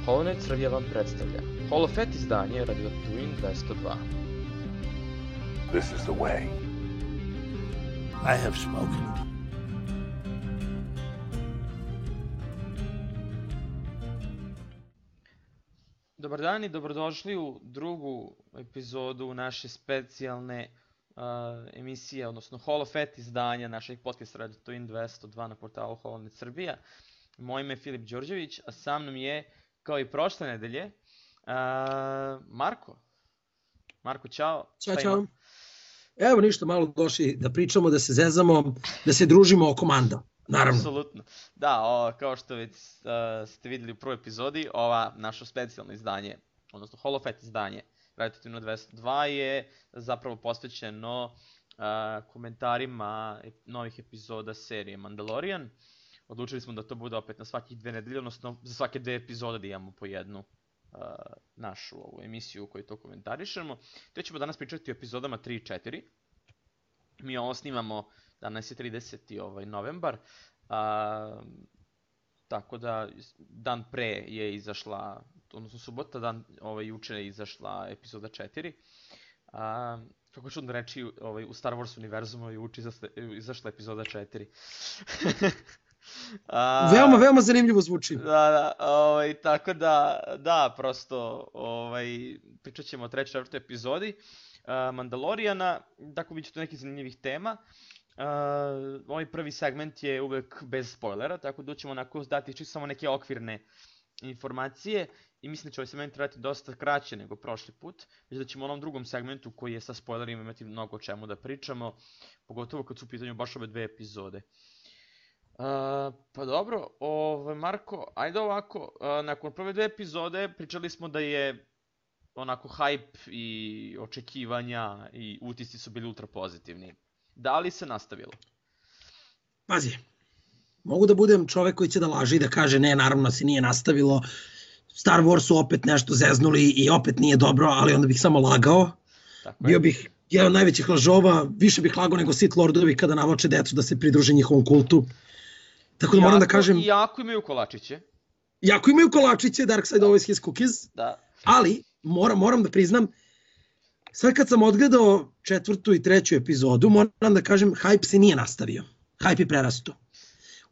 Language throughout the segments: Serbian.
HoloNet Srbija vam predstavlja HoloFet izdanje Radio Twin 202. This is the way. I have spoken. Dobar dan i dobrodošli u drugu epizodu naše specijalne emisije, odnosno HoloFet izdanja našeg podcasta Radio Twin 202 na portalu HoloNet Srbija. Moje ime je Filip Đorđević, a sa mnom je, kao i prošle nedelje, Marko. Marko, čao. Ćao. Evo ništa, malo došli da pričamo, da se zezamo, da se družimo oko manda. Naravno. Apsolutno. Da, kao što već ste vidjeli u prvoj epizodi, ova naše specijalno izdanje, odnosno HoloFet izdanje Radio Twin 202 je zapravo posvećeno komentarima novih epizoda serije Mandalorian. Odlučili smo da to bude opet na svakih 2 nedelje, odnosno za svake 2 epizode da imamo po jednu našu ovu emisiju u kojoj to komentarišemo. Te ćemo danas pričati o epizodama 3 i 4. Mi ovo snimamo, danas je 30. novembar, tako da dan pre je izašla, odnosno subota, juče je izašla epizoda 4. Kako čudno reći, u Star Wars univerzumu juče izašla epizoda 4. Veoma zanimljivo zvuči. Tako da, prosto pričat ćemo o 3. i 4. epizodi Mandalorijana, tako bit će to nekih zanimljivih tema. Ovaj prvi segment je uvek bez spoilera, tako da ćemo onako dati čisto samo neke okvirne informacije i mislim da će ovaj segment trajati dosta kraće nego prošli put, već da ćemo u onom drugom segmentu koji je sa spoilerima imati mnogo o čemu da pričamo, pogotovo kad su u pitanju baš ove 2 epizode. Pa dobro, Marko, ajde ovako, nakon prve 2 epizode pričali smo da je onako hype i očekivanja i utisci su bili ultra pozitivni. Da li se nastavilo? Pazi, mogu da budem čovek koji će da laže i da kaže ne, naravno se nije nastavilo, Star Wars su opet nešto zeznuli i opet nije dobro, ali onda bih samo lagao. Bio bih jedan od najvećih lažova, više bih lagao nego Sith Lordovi kada navlače decu da se pridruže njihovom kultu. Tako da moram da kažem... Jako imaju kolačiće. Jako imaju kolačiće, Dark Side always his cookies. Da. Ali, moram da priznam, sad kad sam odgledao 4. i 3. epizodu, moram da kažem, hype se nije nastavio. Hype je prerasto.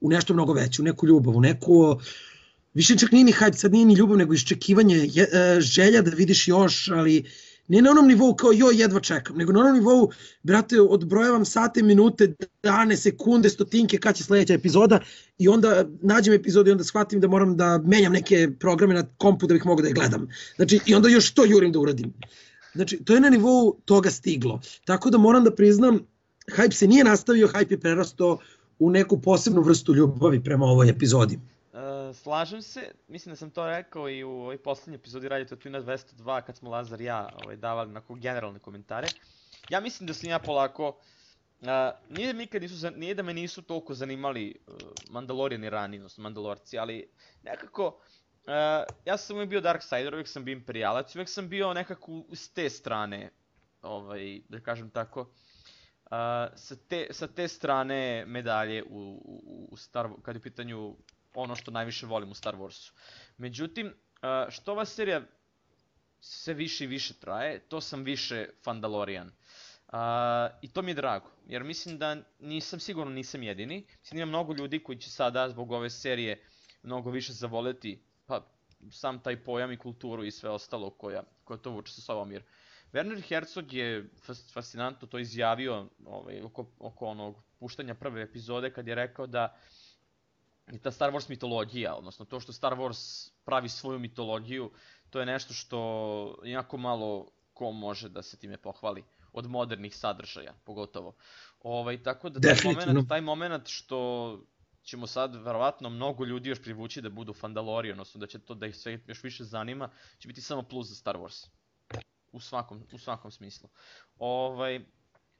U nešto mnogo veće, u neku ljubav, u neku... Više čak nije ni hype, sad nije ni ljubav, nego iščekivanje, želja da vidiš još, ali... Ne na onom nivou kao joj jedva čekam, nego na onom nivou, brate, odbrojavam sate, minute, dane, sekunde, stotinke kad će sledeća epizoda i onda nađem epizodu i onda shvatim da moram da menjam neke programe na kompu da bih mogao da je gledam. Znači, i onda još to jurim da uradim. Znači, to je na nivou toga stiglo. Tako da moram da priznam, hype se nije nastavio, hype je prerastao u neku posebnu vrstu ljubavi prema ovoj epizodi. Slažem se, mislim da sam to rekao i u ovoj poslednjoj epizodi Radio Twin 202 kad smo Lazar i ja davali onako generalne komentare. Ja mislim da sam ja polako, nije da me nisu toliko zanimali Mandalorijani rani, odnosno Mandalorci, ali nekako ja sam uvijek bio Darksider, uvijek sam bio Imperijalac, uvijek sam bio nekako s te strane, da kažem tako, sa te strane medalje kad je u pitanju ono što najviše volim u Star Warsu. Međutim, što ova serija sve više i više traje, to sam više Fandalorian. I to mi je drago, jer mislim da nisam jedini. Mislim da ima mnogo ljudi koji će sada zbog ove serije mnogo više zavoleti sam taj pojam i kulturu i sve ostalo koja to vuče sa sobom. Jer Werner Herzog je fascinantno to izjavio oko onog puštanja prve epizode kad je rekao da i ta Star Wars mitologija, odnosno to što Star Wars pravi svoju mitologiju, to je nešto što jako malo ko može da se time pohvali, od modernih sadržaja pogotovo. Tako da taj moment što ćemo sad verovatno mnogo ljudi još privući da budu Fandalori, odnosno da će to da ih sve još više zanima, će biti samo plus za Star Wars. U svakom smislu.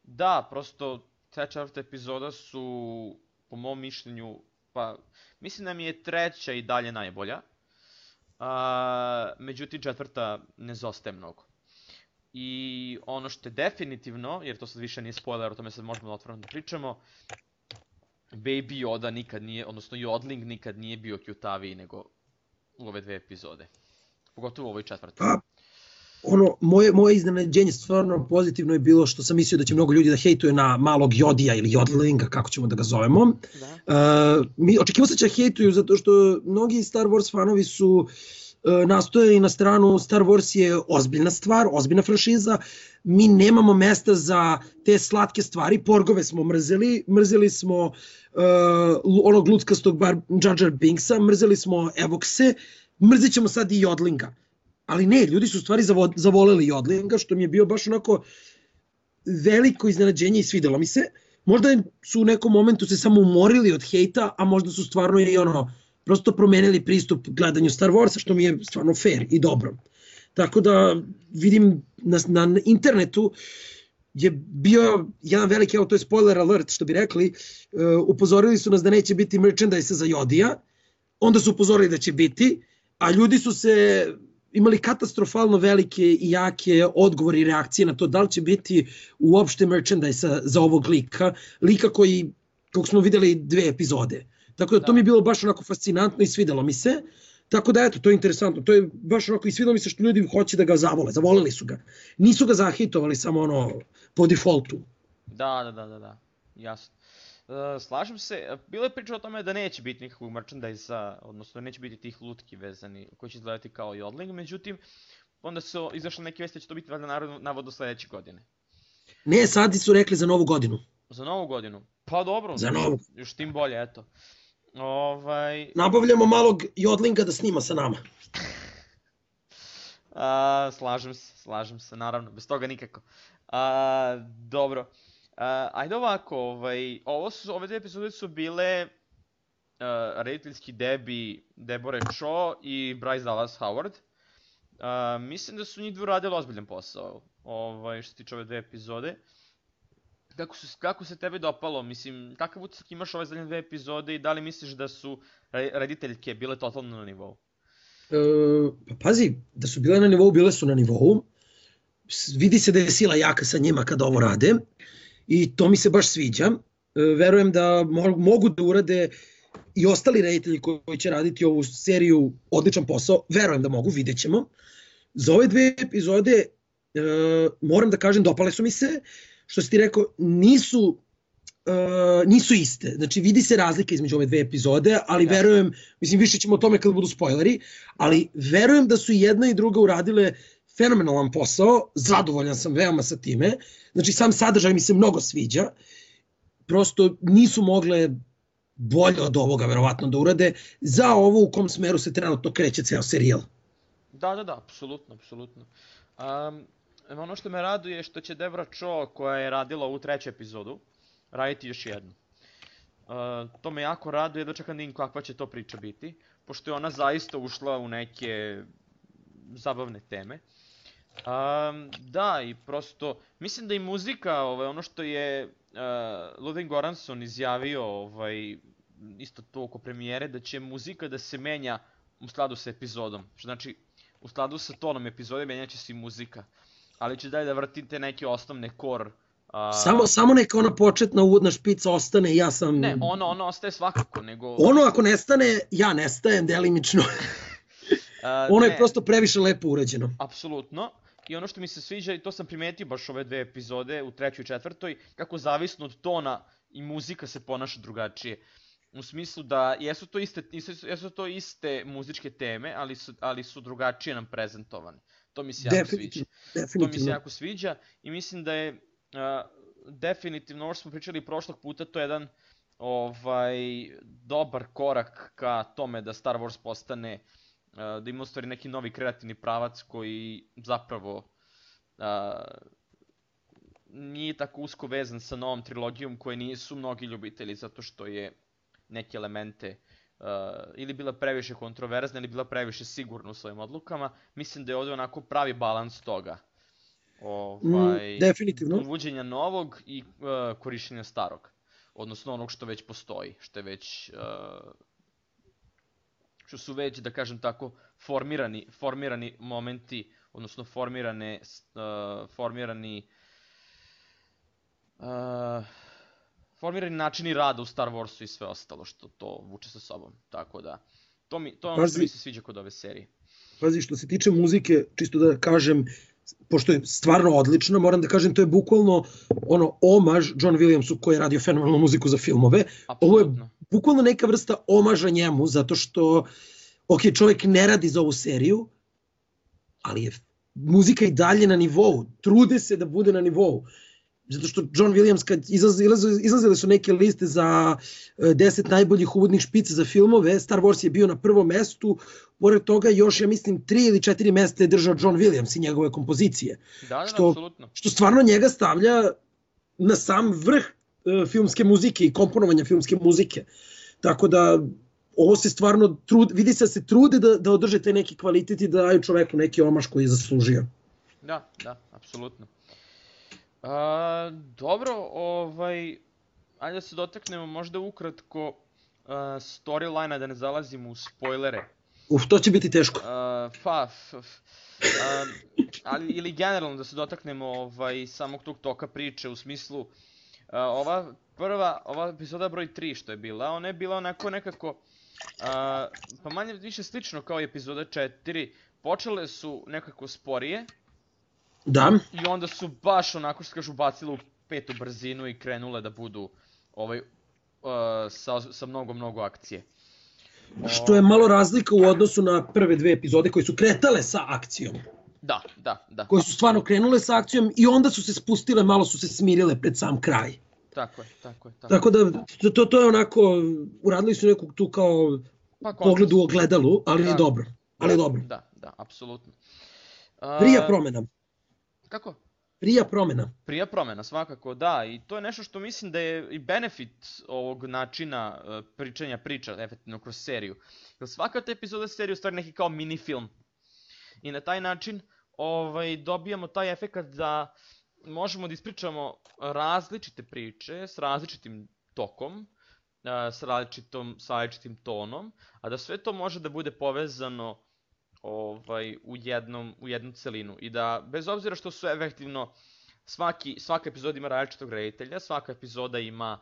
Da, prosto 3. i 4. epizoda su, po mom mišljenju, pa mislim da mi je 3. i dalje najbolja, međutim 4. ne zostaje mnogo. I ono što je definitivno, jer to sad više nije spoiler, o tome sad možemo otvoreno da pričamo, Baby Yoda nikad nije, odnosno Yodeling nikad nije bio cutaviji nego u ove 2 epizode. Pogotovo u ovoj četvrtoj. Pa, moje iznenađenje stvarno pozitivno je bilo što sam mislio da će mnogo ljudi da hejtuje na malog Jodija ili Jodlinga, kako ćemo da ga zovemo. Očekivao se će hejtuju zato što mnogi Star Wars fanovi su nastojali na stranu Star Wars je ozbiljna stvar, ozbiljna franšiza. Mi nemamo mesta za te slatke stvari. Porgove smo mrzeli smo onog luckastog Jar Jar Binksa, mrzeli smo Evokse, mrzit ćemo sad i Jodlinga. Ali ne, ljudi su u stvari zavoleli Jodlinga, što mi je bio baš onako veliko iznenađenje i svidelo mi se. Možda su u nekom momentu se samo umorili od hejta, a možda su stvarno i prosto promenili pristup gledanju Star Warsa, što mi je stvarno fair i dobro. Tako da vidim na internetu je bio jedan veliki, to je spoiler alert što bi rekli, upozorili su nas da neće biti merchandise za Jodija, onda su upozorili da će biti, a ljudi su se imali katastrofalno velike i jake odgovore i reakcije na to da li će biti uopšte merchandise za ovog lika kog smo videli 2 epizode. Tako da to mi je bilo baš onako fascinantno i svidelo mi se. Tako da eto, to je interesantno. To je baš onako i svidelo mi se što ljudi hoće da ga zavoleli su ga. Nisu ga zahitovali samo po defaultu. Da, jasno. Slažem se, bilo je priča o tome da neće biti nikakvog merchandise-a, odnosno neće biti tih lutki vezani koji će izgledati kao Jodling, međutim, onda su izašle neke vesti da će to biti navodno sledeće godine. Ne, sad su rekli za novu godinu. Za novu godinu? Pa dobro, za novu. Još tim bolje, eto. Nabavljamo malog Jodlinga da snima sa nama. Slažem se, naravno, bez toga nikako. Dobro. Ajde ovako, ove 2 epizode su bile rediteljski debi Deborah Chow i Bryce Dallas Howard. Mislim da su njih dvoje radili ozbiljan posao, što se tiče ove 2 epizode. Kako se tebi dopalo, mislim, kakav utisak imaš ove zadnje 2 epizode i da li misliš da su rediteljke bile totalno na nivou? Pa pazi, da su bile na nivou, bile su na nivou. Vidi se da je sila jaka sa njima kada ovo rade. I to mi se baš sviđa. Verujem da mogu da urade i ostali reditelji koji će raditi ovu seriju odličan posao. Verujem da mogu, vidjet ćemo. Za ove 2 epizode moram da kažem, dopale su mi se. Što si ti rekao, nisu iste. Znači vidi se razlika između ove 2 epizode, ali verujem, mislim više ćemo o tome kad budu spoileri, ali verujem da su jedna i druga uradile fenomenalan posao, zadovoljan sam veoma sa time, znači sam sadržaj mi se mnogo sviđa, prosto nisu mogle bolje od ovoga verovatno da urade za ovo u kom smeru se trenutno kreće ceo serijal. Da, apsolutno. Ono što me raduje je što će Deborah Chow, koja je radila ovu 3. epizodu, raditi još jednu. To me jako raduje, da čekam da vidim kakva će to priča biti, pošto je ona zaista ušla u neke zabavne teme. Da, i prosto, mislim da i muzika, ono što je Ludwig Göransson izjavio, isto to oko premijere, da će muzika da se menja u skladu sa epizodom. Što znači, u skladu sa tonom epizode menjaće se i muzika. Ali će dalje da vrtite neke osnovne core. Samo neka ona početna uvodna špica ostane, ja sam... Ne, ono ostaje svakako, nego... Ono ako nestane, ja nestajem delimično. Ono je prosto previše lepo urađeno. Apsolutno. I ono što mi se sviđa, i to sam primetio baš ove 2 epizode, u 3. i 4. kako zavisno od tona i muzika se ponaša drugačije. U smislu da jesu to iste muzičke teme, ali su drugačije nam prezentovane. To mi se jako sviđa. To mi se jako sviđa i mislim da je definitivno, ovo što smo pričali prošlog puta, to je jedan dobar korak ka tome da Star Wars postane, da ima u stvari neki novi kreativni pravac koji zapravo nije tako usko vezan sa novom trilogijom koje nisu mnogi ljubitelji zato što je neke elemente ili bila previše kontroverzna ili bila previše sigurna u svojim odlukama. Mislim da je ovdje onako pravi balans toga. Definitivno. Uvođenja novog i korišćenja starog. Odnosno onog što već postoji, što su već, da kažem tako, formirani momenti, odnosno formirani načini rada u Star Warsu i sve ostalo što to vuče sa sobom. Tako da, To je ono što Pazi. mi se sviđa kod ove serije. Pazi, što se tiče muzike, čisto da kažem, pošto je stvarno odlično, moram da kažem, to je bukvalno omaž John Williamsu koji je radio fenomenalnu muziku za filmove. Ovo je Apsolutno. bukvalno neka vrsta omaža njemu, zato što, ok, čovjek ne radi za ovu seriju, ali je muzika i dalje na nivou, trude se da bude na nivou. Zato što John Williams, kad izlazile su neke liste za 10 najboljih uvodnih špica za filmove, Star Wars je bio na prvom mestu, pored toga još, ja mislim, 3 ili 4 mesta je držao John Williams i njegove kompozicije. Da, apsolutno. Što stvarno njega stavlja na sam vrh filmske muzike i komponovanja filmske muzike. Tako da, ovo se stvarno, vidi se da se trude da održe taj neki kvalitet i da daju čoveku neki omaš koji je zaslužio. Da, apsolutno. Dobro, ajde da se dotaknemo možda ukratko storyline-a, da ne zalazimo u spoilere. To će biti teško. Ali ili generalno da se dotaknemo samog tog toka priče, u smislu ova epizoda broj 3 što je bila, ona je bila onako nekako pa manje više slično kao i epizoda 4, počele su nekako sporije. Da. I onda su baš onako što kažu bacile u petu brzinu i krenule da budu sa mnogo akcije. Što je malo razlika u odnosu na prve dve epizode koje su kretale sa akcijom. Da. Koje su stvarno krenule sa akcijom i onda su se spustile, malo su se smirile pred sam kraj. Tako je. Tako da, to je onako, uradili su nekog tu kao pogled u ogledalu, ali je dobro. Da, apsolutno. Prija promena. Kako? Prija promena, svakako, da. I to je nešto što mislim da je i benefit ovog načina priča, efektivno kroz seriju. Jer svaka ta epizoda serije je u stvari neki kao mini film. I na taj način dobijamo taj efekt da možemo da ispričamo različite priče s različitim tokom, s različitim tonom, a da sve to može da bude povezano u jednu celinu i da, bez obzira što su efektivno, svaka epizoda ima različitog reditelja, svaka epizoda ima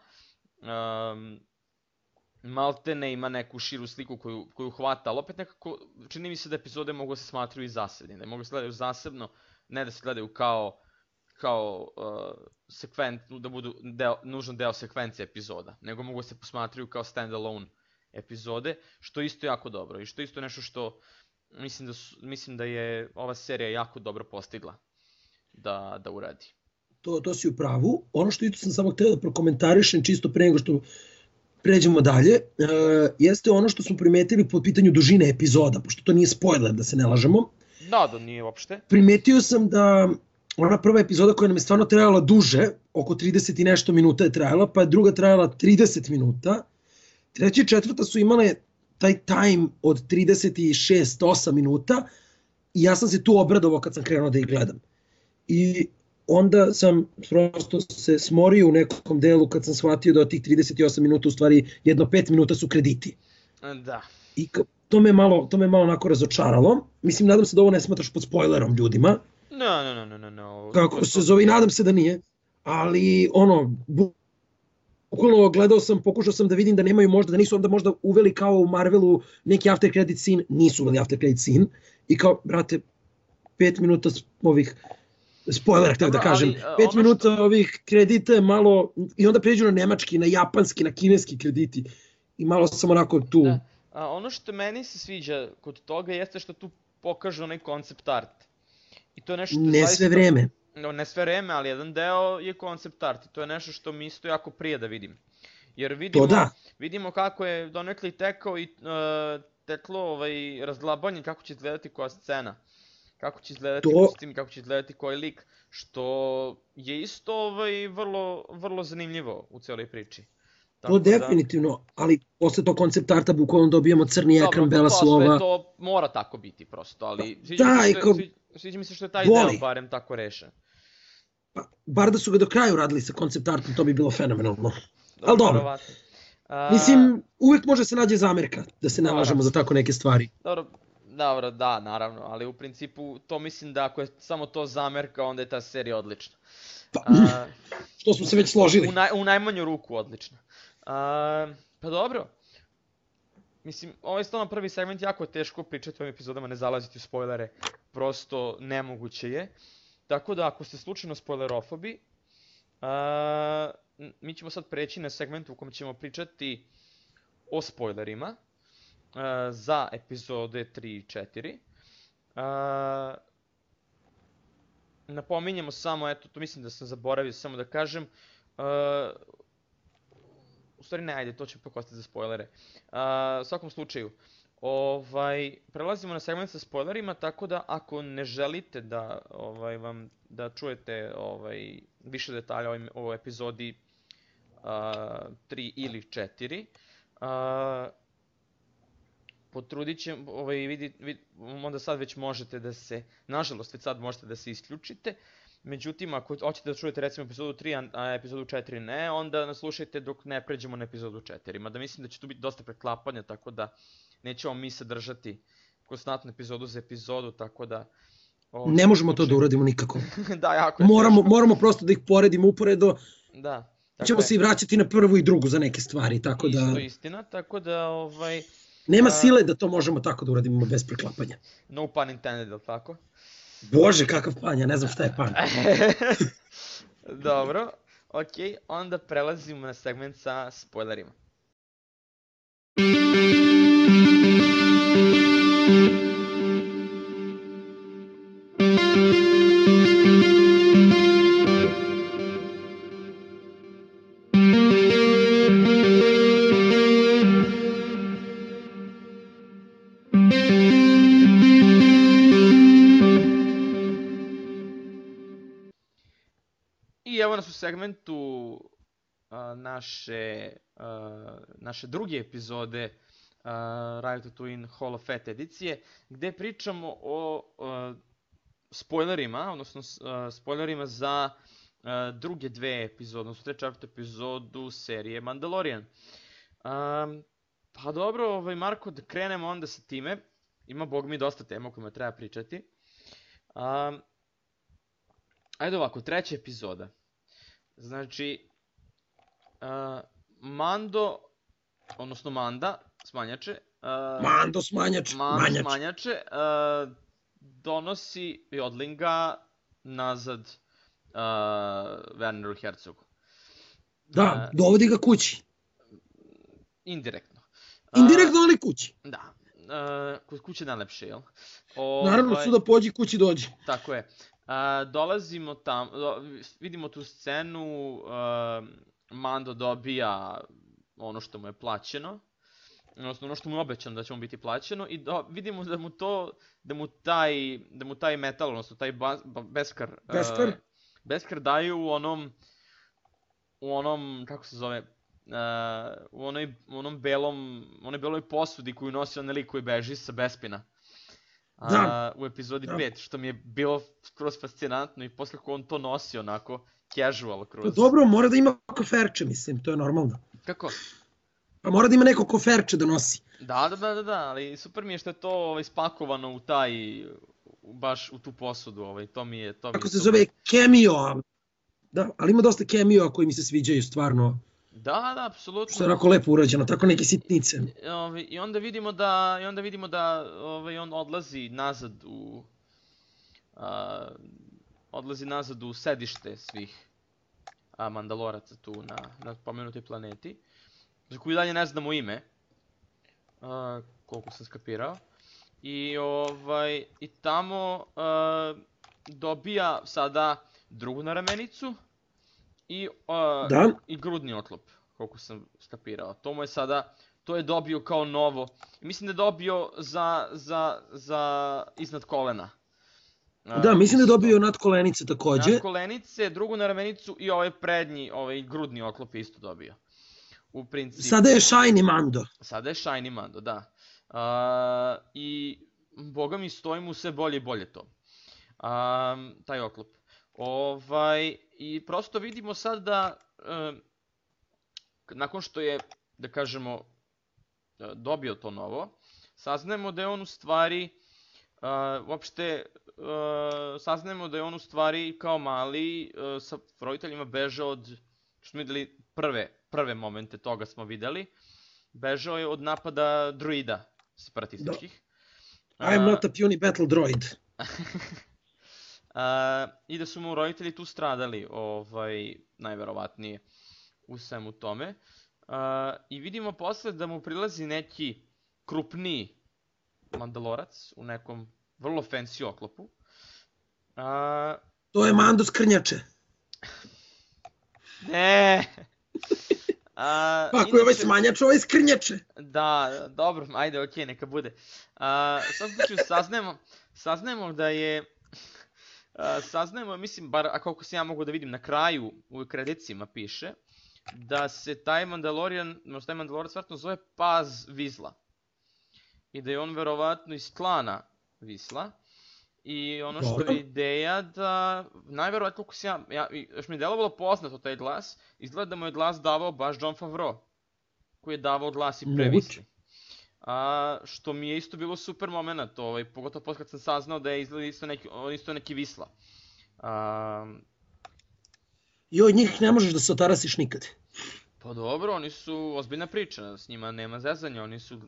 maltene ima neku širu sliku koju hvata, ali opet nekako čini mi se da epizode mogu da se smatraju i zasebne, da mogu da se gledaju zasebno, ne da se gledaju kao da budu nužno deo sekvencije epizoda, nego mogu da se posmatraju kao stand-alone epizode, što je isto jako dobro i što je isto nešto što mislim da je ova serija jako dobro postigla da uradi. To si u pravu. Ono što isto sam samo htio da prokomentarišem čisto pre nego što pređemo dalje, jeste ono što smo primetili po pitanju dužine epizoda, pošto to nije spoiler, da se ne lažemo. Da, nije uopšte. Primetio sam da ona prva epizoda koja nam je stvarno trajala duže, oko 30 i nešto minuta je trajala, pa je druga trajala 30 minuta. Treća i četvrta su imale taj time od 36-8 minuta i ja sam se tu obradovao kad sam krenuo da ih gledam. I onda sam prosto se smorio u nekom delu kad sam shvatio da od tih 38 minuta u stvari jedno 5 minuta su krediti. Da. I to me malo onako razočaralo. Mislim, nadam se da ovo ne smatraš pod spoilerom ljudima. No. Kako se zove, i nadam se da nije. Ali, bukvalno pokušao sam da vidim da nemaju da nisu onda možda uveli kao u Marvelu neki after credit scene, nisu uveli after credit scene. I kao, brate, 5 minuta ovih spoilera, htio da kažem, 5 minuta ovih kredita je malo, i onda pređu na nemački, na japanski, na kineski krediti. I malo sam onako tu. Da. Ono što meni se sviđa kod toga jeste što tu pokažu onaj concept art. I to je nešto što ne sve vreme. Ne sve vreme, ali jedan deo je concept art. I to je nešto što mi isto jako prije da vidim. Jer vidimo kako je donekle tekao i teklo razglabanje kako će izgledati koja scena. Kako će izgledati kostim, kako će izgledati koji lik. Što je isto vrlo zanimljivo u cijeloj priči. To definitivno, ali posle tog koncept arta bukvalno dobijamo crni ekran, bela slova. Dobro, to mora tako biti prosto, ali sviđa mi se što je taj deo barem tako rešen. Bar da su ga do kraja uradili sa koncept artom, to bi bilo fenomenalno. Ali dobro. Mislim, uvijek može se nađe zamerka, da se ne lažemo za tako neke stvari. Dobro, da, naravno, ali u principu to mislim da ako je samo to zamerka, onda je ta serija odlična. Što smo se već složili. U najmanju ruku odlična. Pa dobro. mislim, ovaj stvarno prvi segment jako je teško pričati o ovim epizodama, ne zalaziti u spoilere, prosto nemoguće je. Tako da ako ste slučajno spoilerofobi, mi ćemo sad preći na segment u kojem ćemo pričati o spoilerima za epizode 3 i 4. Napominjemo samo, eto, to mislim da sam zaboravio samo da kažem, u stvari ne, ajde, to će pak ostati za spoilere. U svakom slučaju, prelazimo na segment sa spoilerima, tako da ako ne želite da čujete više detalja o epizodi 3 ili 4, potrudit ćemo, onda sad već možete da se, nažalost već sad možete da se isključite. Međutim, ako hoćete da čujete recimo epizodu 3, a epizodu 4 ne, onda nas slušajte dok ne pređemo na epizodu 4. Mada mislim da će tu biti dosta preklapanja, tako da nećemo mi sadržati konstantnu epizodu za epizodu, tako da... Ne možemo to da uradimo nikako. Da, jako je moramo prosto da ih poredimo uporedo. Da. Ćemo se i vraćati na prvu i drugu za neke stvari, tako da... Isto istina, tako da... Nema sile da to možemo tako da uradimo bez preklapanja. No pun intended, ili tako? Bože, kakav pan, ja ne znam šta je pan. Dobro, okej, onda prelazimo na segment sa spoilerima. I evo nas u segmentu naše druge epizode Ratatouille Hall of Fate edicije, gde pričamo o spoilerima, odnosno spoilerima za druge dve epizode, odnosno treću četvrtu epizodu serije Mandalorian. Pa dobro, Marko, da krenemo onda sa time. Ima, bog mi, dosta tema o kojima treba pričati. Ajde ovako, treća epizoda. Znači, Mando, odnosno Manda, smanjače. Mando smanjače. Donosi Jodlinga nazad Werneru Herzogu. Da, dovodi ga kući. Indirektno. Indirektno, ali kući. Da. Kod kuće najlepše, jel? Naravno su da pođi, kući dođi. Tako je. Dolazimo tamo, vidimo tu scenu, Mando dobija ono što mu je plaćeno, odnosno ono što mu je obećano da će mu biti plaćeno, i vidimo da mu taj metal, odnosno taj beskar daju u onom, kako se zove, u onoj beloj posudi koju nosi onaj lik koji beži sa Bespina. U epizodi 5, što mi je bilo skroz fascinantno, i posle kako on to nosi onako casual kroz... Dobro, mora da ima koferče, mislim, to je normalno. Kako? Pa mora da ima neko koferče da nosi. Da, ali super mi je što je to spakovano baš u tu posudu, to mi je... Kako se zove, cameo, da, ali ima dosta cameo koji mi se sviđaju stvarno. Da, apsolutno. Što je onako lepo urađeno, tako neke sitnice. I onda vidimo da on odlazi nazad u sedište svih Mandaloraca tu na pomenutoj planeti, za koju dalje ne znamo ime, koliko sam skapirao. I tamo dobija sada drugu naramenicu i grudni oklop, koliko sam skapirao. To je dobio kao novo. Mislim da je dobio za iznad kolena. Da, mislim da je dobio nadkolenice takođe. Nadkolenice, drugu naramenicu i ovaj prednji, grudni oklop je isto dobio. U principu. Sada je Shiny Mando. Sada je Shiny Mando, da. I boga mi, stoji mu sve bolje i bolje to. Taj oklop. I prosto vidimo sad da, nakon što je, da kažemo, dobio to novo, saznajemo da je on u stvari, saznajemo da je on u stvari kao mali sa roditeljima bežao što smo videli prve momente toga smo videli, Bežao je od napada druida separatističkih. I'm not a puny battle droid. I da su mu roditelji tu stradali, najverovatnije u svemu tome. I vidimo posle da mu prilazi neki krupniji Mandalorac u nekom vrlo fancy oklopu. To je Mando Skrnjače. Ne. Ako je ovaj smanjač, ovaj Skrnjače. Da, dobro, ajde, okej, neka bude. U svakom slučaju saznajemo da je... Saznajemo, mislim, bar ako se ja mogu da vidim na kraju, u kredicima piše, da se taj Mandalorac vjerojatno zove Paz Vizla. I da je on verovatno iz klana Visla. I ono što je ideja da, najverovatno koliko se još mi je delovalo poznato taj glas, izgleda da mu je glas davao baš Jon Favreau, koji je davao glas i pre Visli. Što mi je isto bilo super moment, pogotovo posle kad sam saznao da je izgleda isto neki Visla. I od njih ne možeš da se otarasiš nikad. Pa dobro, oni su ozbiljna priča, s njima nema zezanja, oni su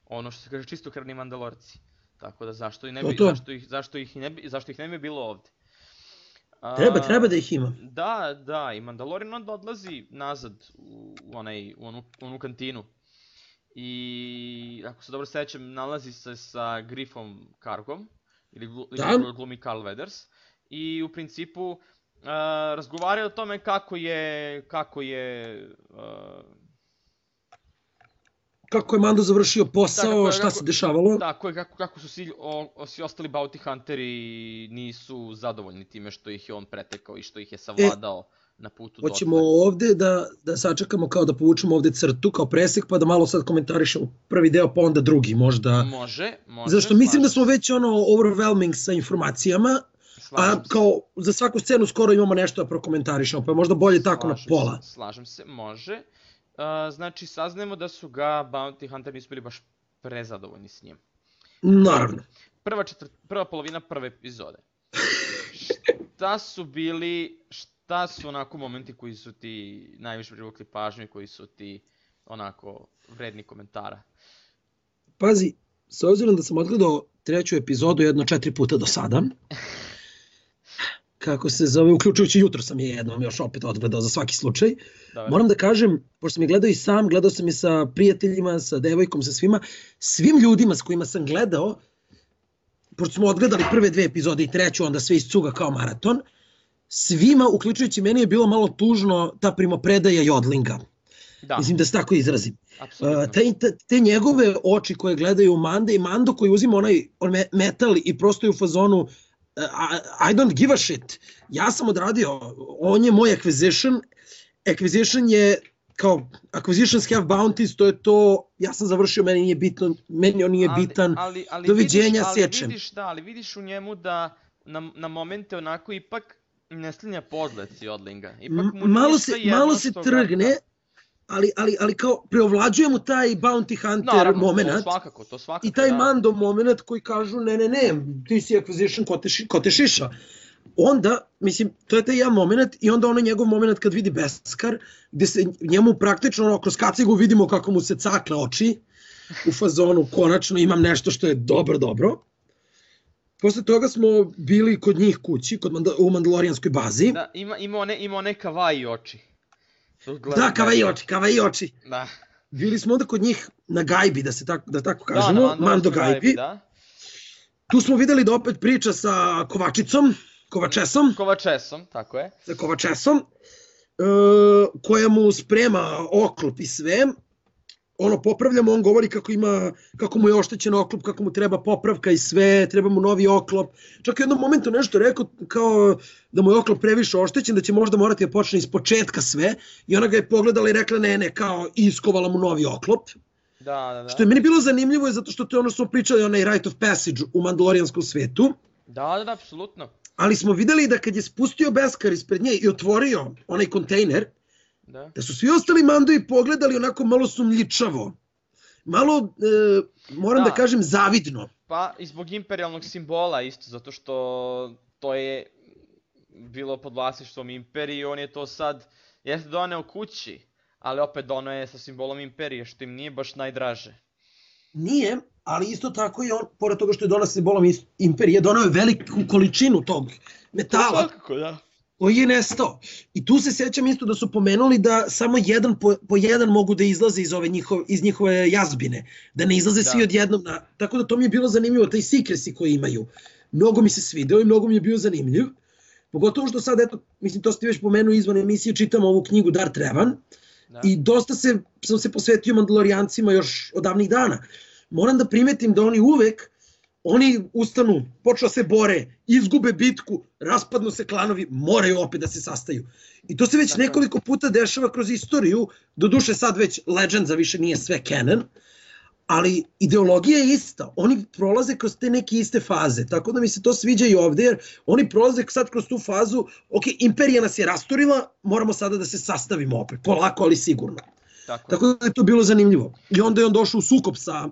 ono što se kaže čistokrvni Mandalorci. Tako da zašto ih ne bi bilo ovde? Treba da ih ima. Da, i Mandalorian onda odlazi nazad u onu kantinu. I ako se dobro sećam, nalazi se sa Griffom Kargom, ili glumi Carl Weathers. I u principu razgovaraju o tome kako je Mando završio posao, šta se dešavalo. Tako je, kako su svi ostali bounty hunteri nisu zadovoljni time što ih je on pretekao i što ih je savladao na putu dotle. Hoćemo ovde da sačekamo kao da povučemo ovde crtu kao presek pa da malo sad komentarišemo prvi deo pa onda drugi možda. Može. Zašto mislim da smo već overwhelming sa informacijama, a kao za svaku scenu skoro imamo nešto da prokomentarišemo, pa je možda bolje tako na pola. Slažem se, može. Znači, saznajemo da su ga bounty hunteri nisu bili baš prezadovoljni s njim. Naravno. Prva polovina prve epizode. Šta su onako momenti koji su ti najviše privukli pažnju i koji su ti onako vredni komentara? Pazi, s obzirom da sam odgledao treću epizodu jedno 4 puta do sada, kako se zove, uključujući jutro sam je jednom još opet odgledao za svaki slučaj. Moram da kažem, pošto sam je gledao i sam, gledao sam je sa prijateljima, sa devojkom, sa svim ljudima s kojima sam gledao, pošto smo odgledali prve 2 epizode i treću, onda sve iz cuga kao maraton, svima, uključujući meni, je bilo malo tužno ta primopredaja Jodlinga. Mislim da se tako izrazim. Te njegove oči koje gledaju Mande i Mando koji uzima onaj metal i prosto je u fazonu I don't give a shit. Ja sam odradio, on je moj acquisition. Acquisition je kao acquisitions have bounties, to je to, ja sam završio, meni nije bitno, meni on nije bitan, doviđenja, sečem. Ali vidiš u njemu da na momente onako ipak ne slinja pogled si Jodlinga. Malo se trgne, ali kao preovlađuje mu taj bounty hunter moment. To svakako. I taj Mando moment koji kažu ne, ti si acquisition, ko te šiša. Onda, mislim, to je taj jedan moment i onda onaj njegov moment kad vidi Beskar, gde se njemu praktično kroz kacigu vidimo kako mu se cakle oči u fazonu, konačno imam nešto što je dobro. Posle toga smo bili kod njih kući, u Mandalorijanskoj bazi. Da, ima one kawaii oči. Da, kawaii oči. Da. Bili smo onda kod njih na gajbi, da tako kažemo, Mando gajbi. Tu smo videli da opet priča sa Kovačesom, tako je. Sa Kovačesom, koja mu sprema oklop i sve. Ono, popravljamo, on govori kako mu je oštećen oklop, kako mu treba popravka i sve, treba mu novi oklop. Čak u jednom momentu nešto rekao kao da mu je oklop previše oštećen, da će možda morati da počne iz početka sve. I ona ga je pogledala i rekla ne, kao iskovala mu novi oklop. Da. Što je meni bilo zanimljivo zato što to je ono što smo pričali, onaj rite of passage u mandalorijanskom svetu. Da, apsolutno. Ali smo videli da kad je spustio Beskar ispred nje i otvorio onaj kontejner, da su svi ostali Mandoji pogledali onako malo sumnjičavo. Malo, moram da kažem, zavidno. Pa i zbog imperijalnog simbola isto, zato što to je bilo pod vlasništvom imperije i on je to sad, jeste doneo kući, ali opet dono je sa simbolom imperije, što im nije baš najdraže. Nije, ali isto tako i on, pored toga što je donao simbolom imperije, donao je veliku količinu tog metala. Svakako, da. Koji je nestao. I tu se sjećam isto da su pomenuli da samo jedan po jedan mogu da izlaze iz njihove jazbine. Da ne izlaze svi odjednom. Tako da to mi je bilo zanimljivo, taj secrecy koji imaju. Mnogo mi se svideo i mnogo mi je bio zanimljiv. Pogotovo što sad, eto, mislim, to ste već pomenuo izvan emisije, čitam ovu knjigu Dar Trevan. I dosta sam se posvetio Mandalorijancima još od davnih dana. Moram da primetim da oni ustanu, počnu se bore, izgube bitku, raspadnu se klanovi, moraju opet da se sastaju. I to se već nekoliko puta dešava kroz istoriju, doduše sad već Legends više nije sve canon, ali ideologija je ista. Oni prolaze kroz te neke iste faze, tako da mi se to sviđa i ovde, jer oni prolaze sad kroz tu fazu, ok, imperija nas je rasturila, moramo sada da se sastavimo opet, polako, ali sigurno. Tako da je to bilo zanimljivo. I onda je on došao u sukob sa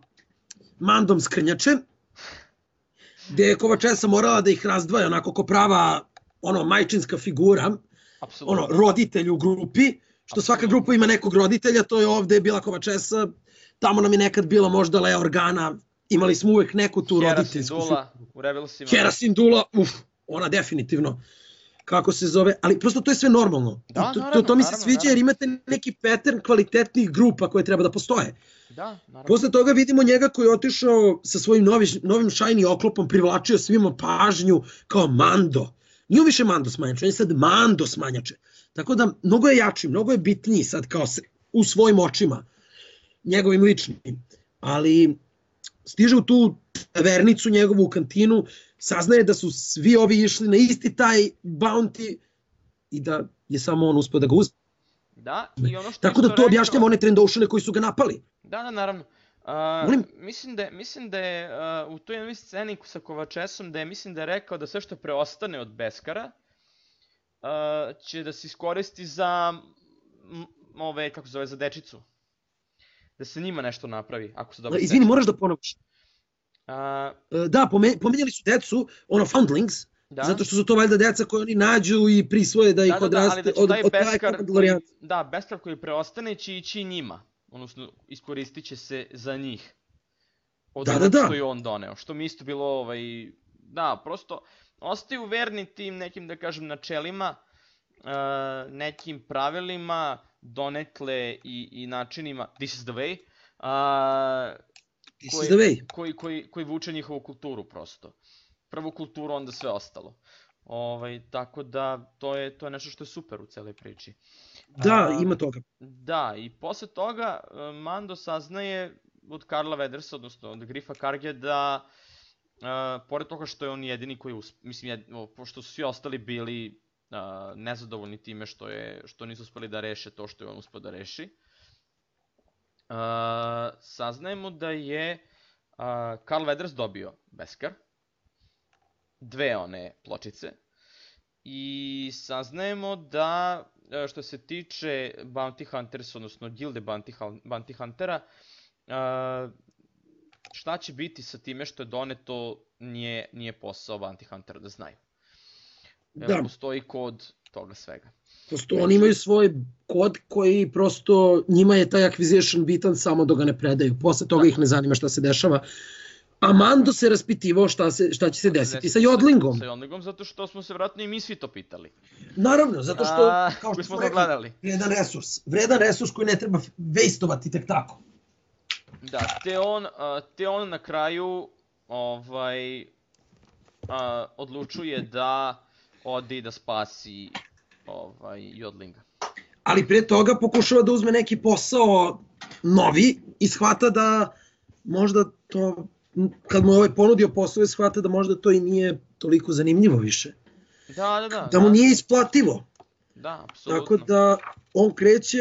Mandom Skrnjačem, gde je Kovačesa morala da ih razdvaja onako ko prava majčinska figura, roditelj u grupi, što svaka grupa ima nekog roditelja, to je ovde bila Kovačesa, tamo nam je nekad bila možda Leia Organa, imali smo uvek neku tu roditeljsku figuru. Hera Syndulla u Rebelsima. Hera Syndulla, ona definitivno, kako se zove, ali prosto to je sve normalno. To mi se sviđa jer imate neki pattern kvalitetnih grupa koje treba da postoje. Posle toga vidimo njega koji je otišao sa svojim novim shiny oklopom, privlačio svima pažnju kao Mando. Nije više Mando smanjače, on je sad Mando smanjače. Tako da mnogo je jači, mnogo je bitniji sad kao u svojim očima, njegovim ličnim. Ali stiže u tu tavernicu njegovu u kantinu, saznaje da su svi ovi išli na isti taj bounty i da je samo on uspio da ga uzme. Tako da to objašnjava one Trandoshanne koji su ga napali. Da, naravno. Mislim da je u toj jednoj sceni sa Kovačesom, da je rekao da sve što preostane od Beskara će da se iskoristi za za dečicu. Da se njima nešto napravi, ako se dobro... Izvini, moraš da ponoviš. Da, pomenjali su decu, foundlings, zato što su to valjda deca koje oni nađu i prisvoje da ih odraste od Mandalorijanca. Da, Beskar koji preostane će ići njima, odnosno iskoristit će se za njih. Od onog što je on doneo, što mi isto bilo, da, prosto ostaju verni tim nekim, da kažem, načelima, nekim pravilima, donekle i načinima, this is the way, koji vuče njihovu kulturu prosto. Prvu kulturu, onda sve ostalo. Tako da, to je nešto što je super u celoj priči. Da, ima toga. Da, i posle toga Mando saznaje od Karla Weathersa, odnosno od Griffa Karge, da pored toga što je on jedini koji, mislim, pošto su svi ostali bili nezadovoljni time što nisu uspeli da reše to što je on uspio da reši, saznajemo da je Karl Weathers dobio Beskar, 2 one pločice, i saznajemo da što se tiče Bounty Hunters, odnosno gilde Bounty Huntera, šta će biti sa time što je doneto nije posao Bounty Huntera da znaju. Postoji kod toga svega. Oni imaju svoj kod koji prosto, njima je taj acquisition bitan samo dok ga ne predaju. Posle toga ih ne zanima šta se dešava. A Mando se raspitivao šta će se desiti sa Jodlingom. Sa Jodlingom, zato što smo se vratno i mi svi to pitali. Naravno, zato što, kao što smo rekli, vredan resurs koji ne treba vejstovati tek tako. Da, te on na kraju odlučuje da ode i da spasi Jodlinga. Ali pre toga pokušava da uzme neki posao novi i shvata da možda to, kad mu je ponudio posao, shvata da možda to i nije toliko zanimljivo više. Da mu nije isplativo. Da, apsolutno. Tako da on kreće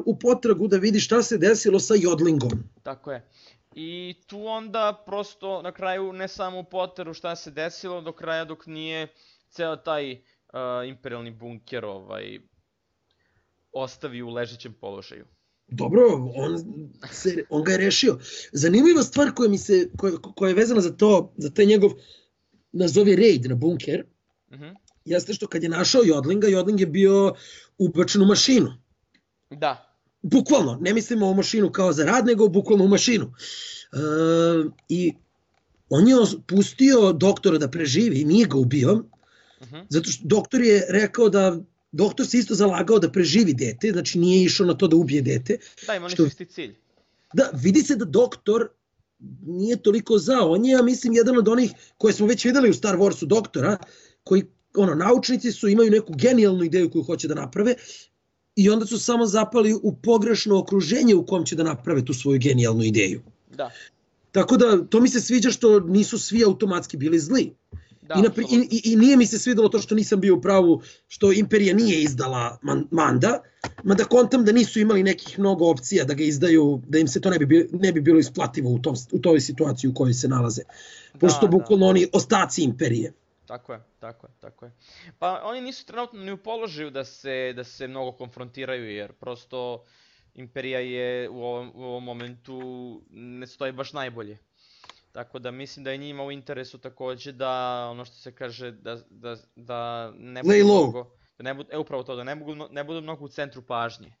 u potragu da vidi šta se desilo sa Jodlingom. Tako je. I tu onda prosto na kraju ne samo u poteru šta se desilo, do kraja dok nije ceo taj imperialni bunker ostavi u ležećem položaju. Dobro, on ga je rešio. Zanimljiva stvar koja je vezana za taj njegov, nazovi raid na bunker, jeste što kad je našao Jodlinga, Jodling je bio ubačen u mašinu. Da. Bukvalno, ne mislimo o mašinu kao za rad, nego bukvalno u mašinu. I on je pustio doktora da preživi, nije ga ubio, zato što doktor je rekao da, doktor se isto zalagao da preživi dete, znači nije išao na to da ubije dete. Da, ima nešto isti cilj. Da, vidi se da doktor nije toliko za, on je, ja mislim, jedan od onih koje smo već videli u Star Warsu doktora, koji, naučnici su, imaju neku genijalnu ideju koju hoće da naprave i onda su samo zapali u pogrešno okruženje u kom će da naprave tu svoju genijalnu ideju. Da. Tako da, to mi se sviđa što nisu svi automatski bili zli. Da, I nije mi se svidelo to što nisam bio u pravu, što Imperija nije izdala Manda, mada kontam da nisu imali nekih mnogo opcija da ga izdaju, da im se to ne bi bilo isplativo u toj situaciji u kojoj se nalaze. Pošto bukvalno oni ostaci Imperije. Tako je. Pa oni nisu trenutno ni u položaju da se mnogo konfrontiraju, jer prosto Imperija je u ovom momentu ne stoji baš najbolje. Tako da mislim da je njima u interesu takođe da, ono što se kaže, da ne budu mnogo, upravo to, da ne budu mnogo u centru pažnje.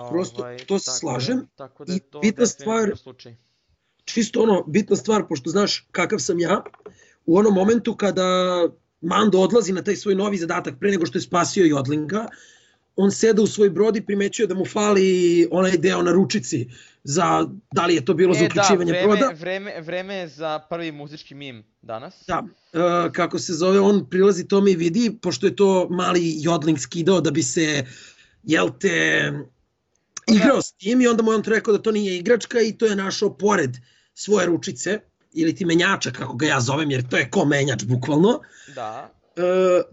Prosto, to se slažem. Tako da je to definitivno slučaj. Čisto bitna stvar, pošto znaš kakav sam ja, u onom momentu kada Mando odlazi na taj svoj novi zadatak pre nego što je spasio Jodlinga, on seda u svoj brod i primećuje da mu fali onaj deo na ručici za, da li je to bilo za uključivanje broda. Vreme je za prvi muzički mim danas. Da, kako se zove, on prilazi tome i vidi, pošto je to mali Jodling skidao da bi se, igrao s tim i onda mu je on rekao da to nije igračka i to je našao pored svoje ručice, ili ti menjača, kako ga ja zovem, jer to je ko menjač, bukvalno. Da.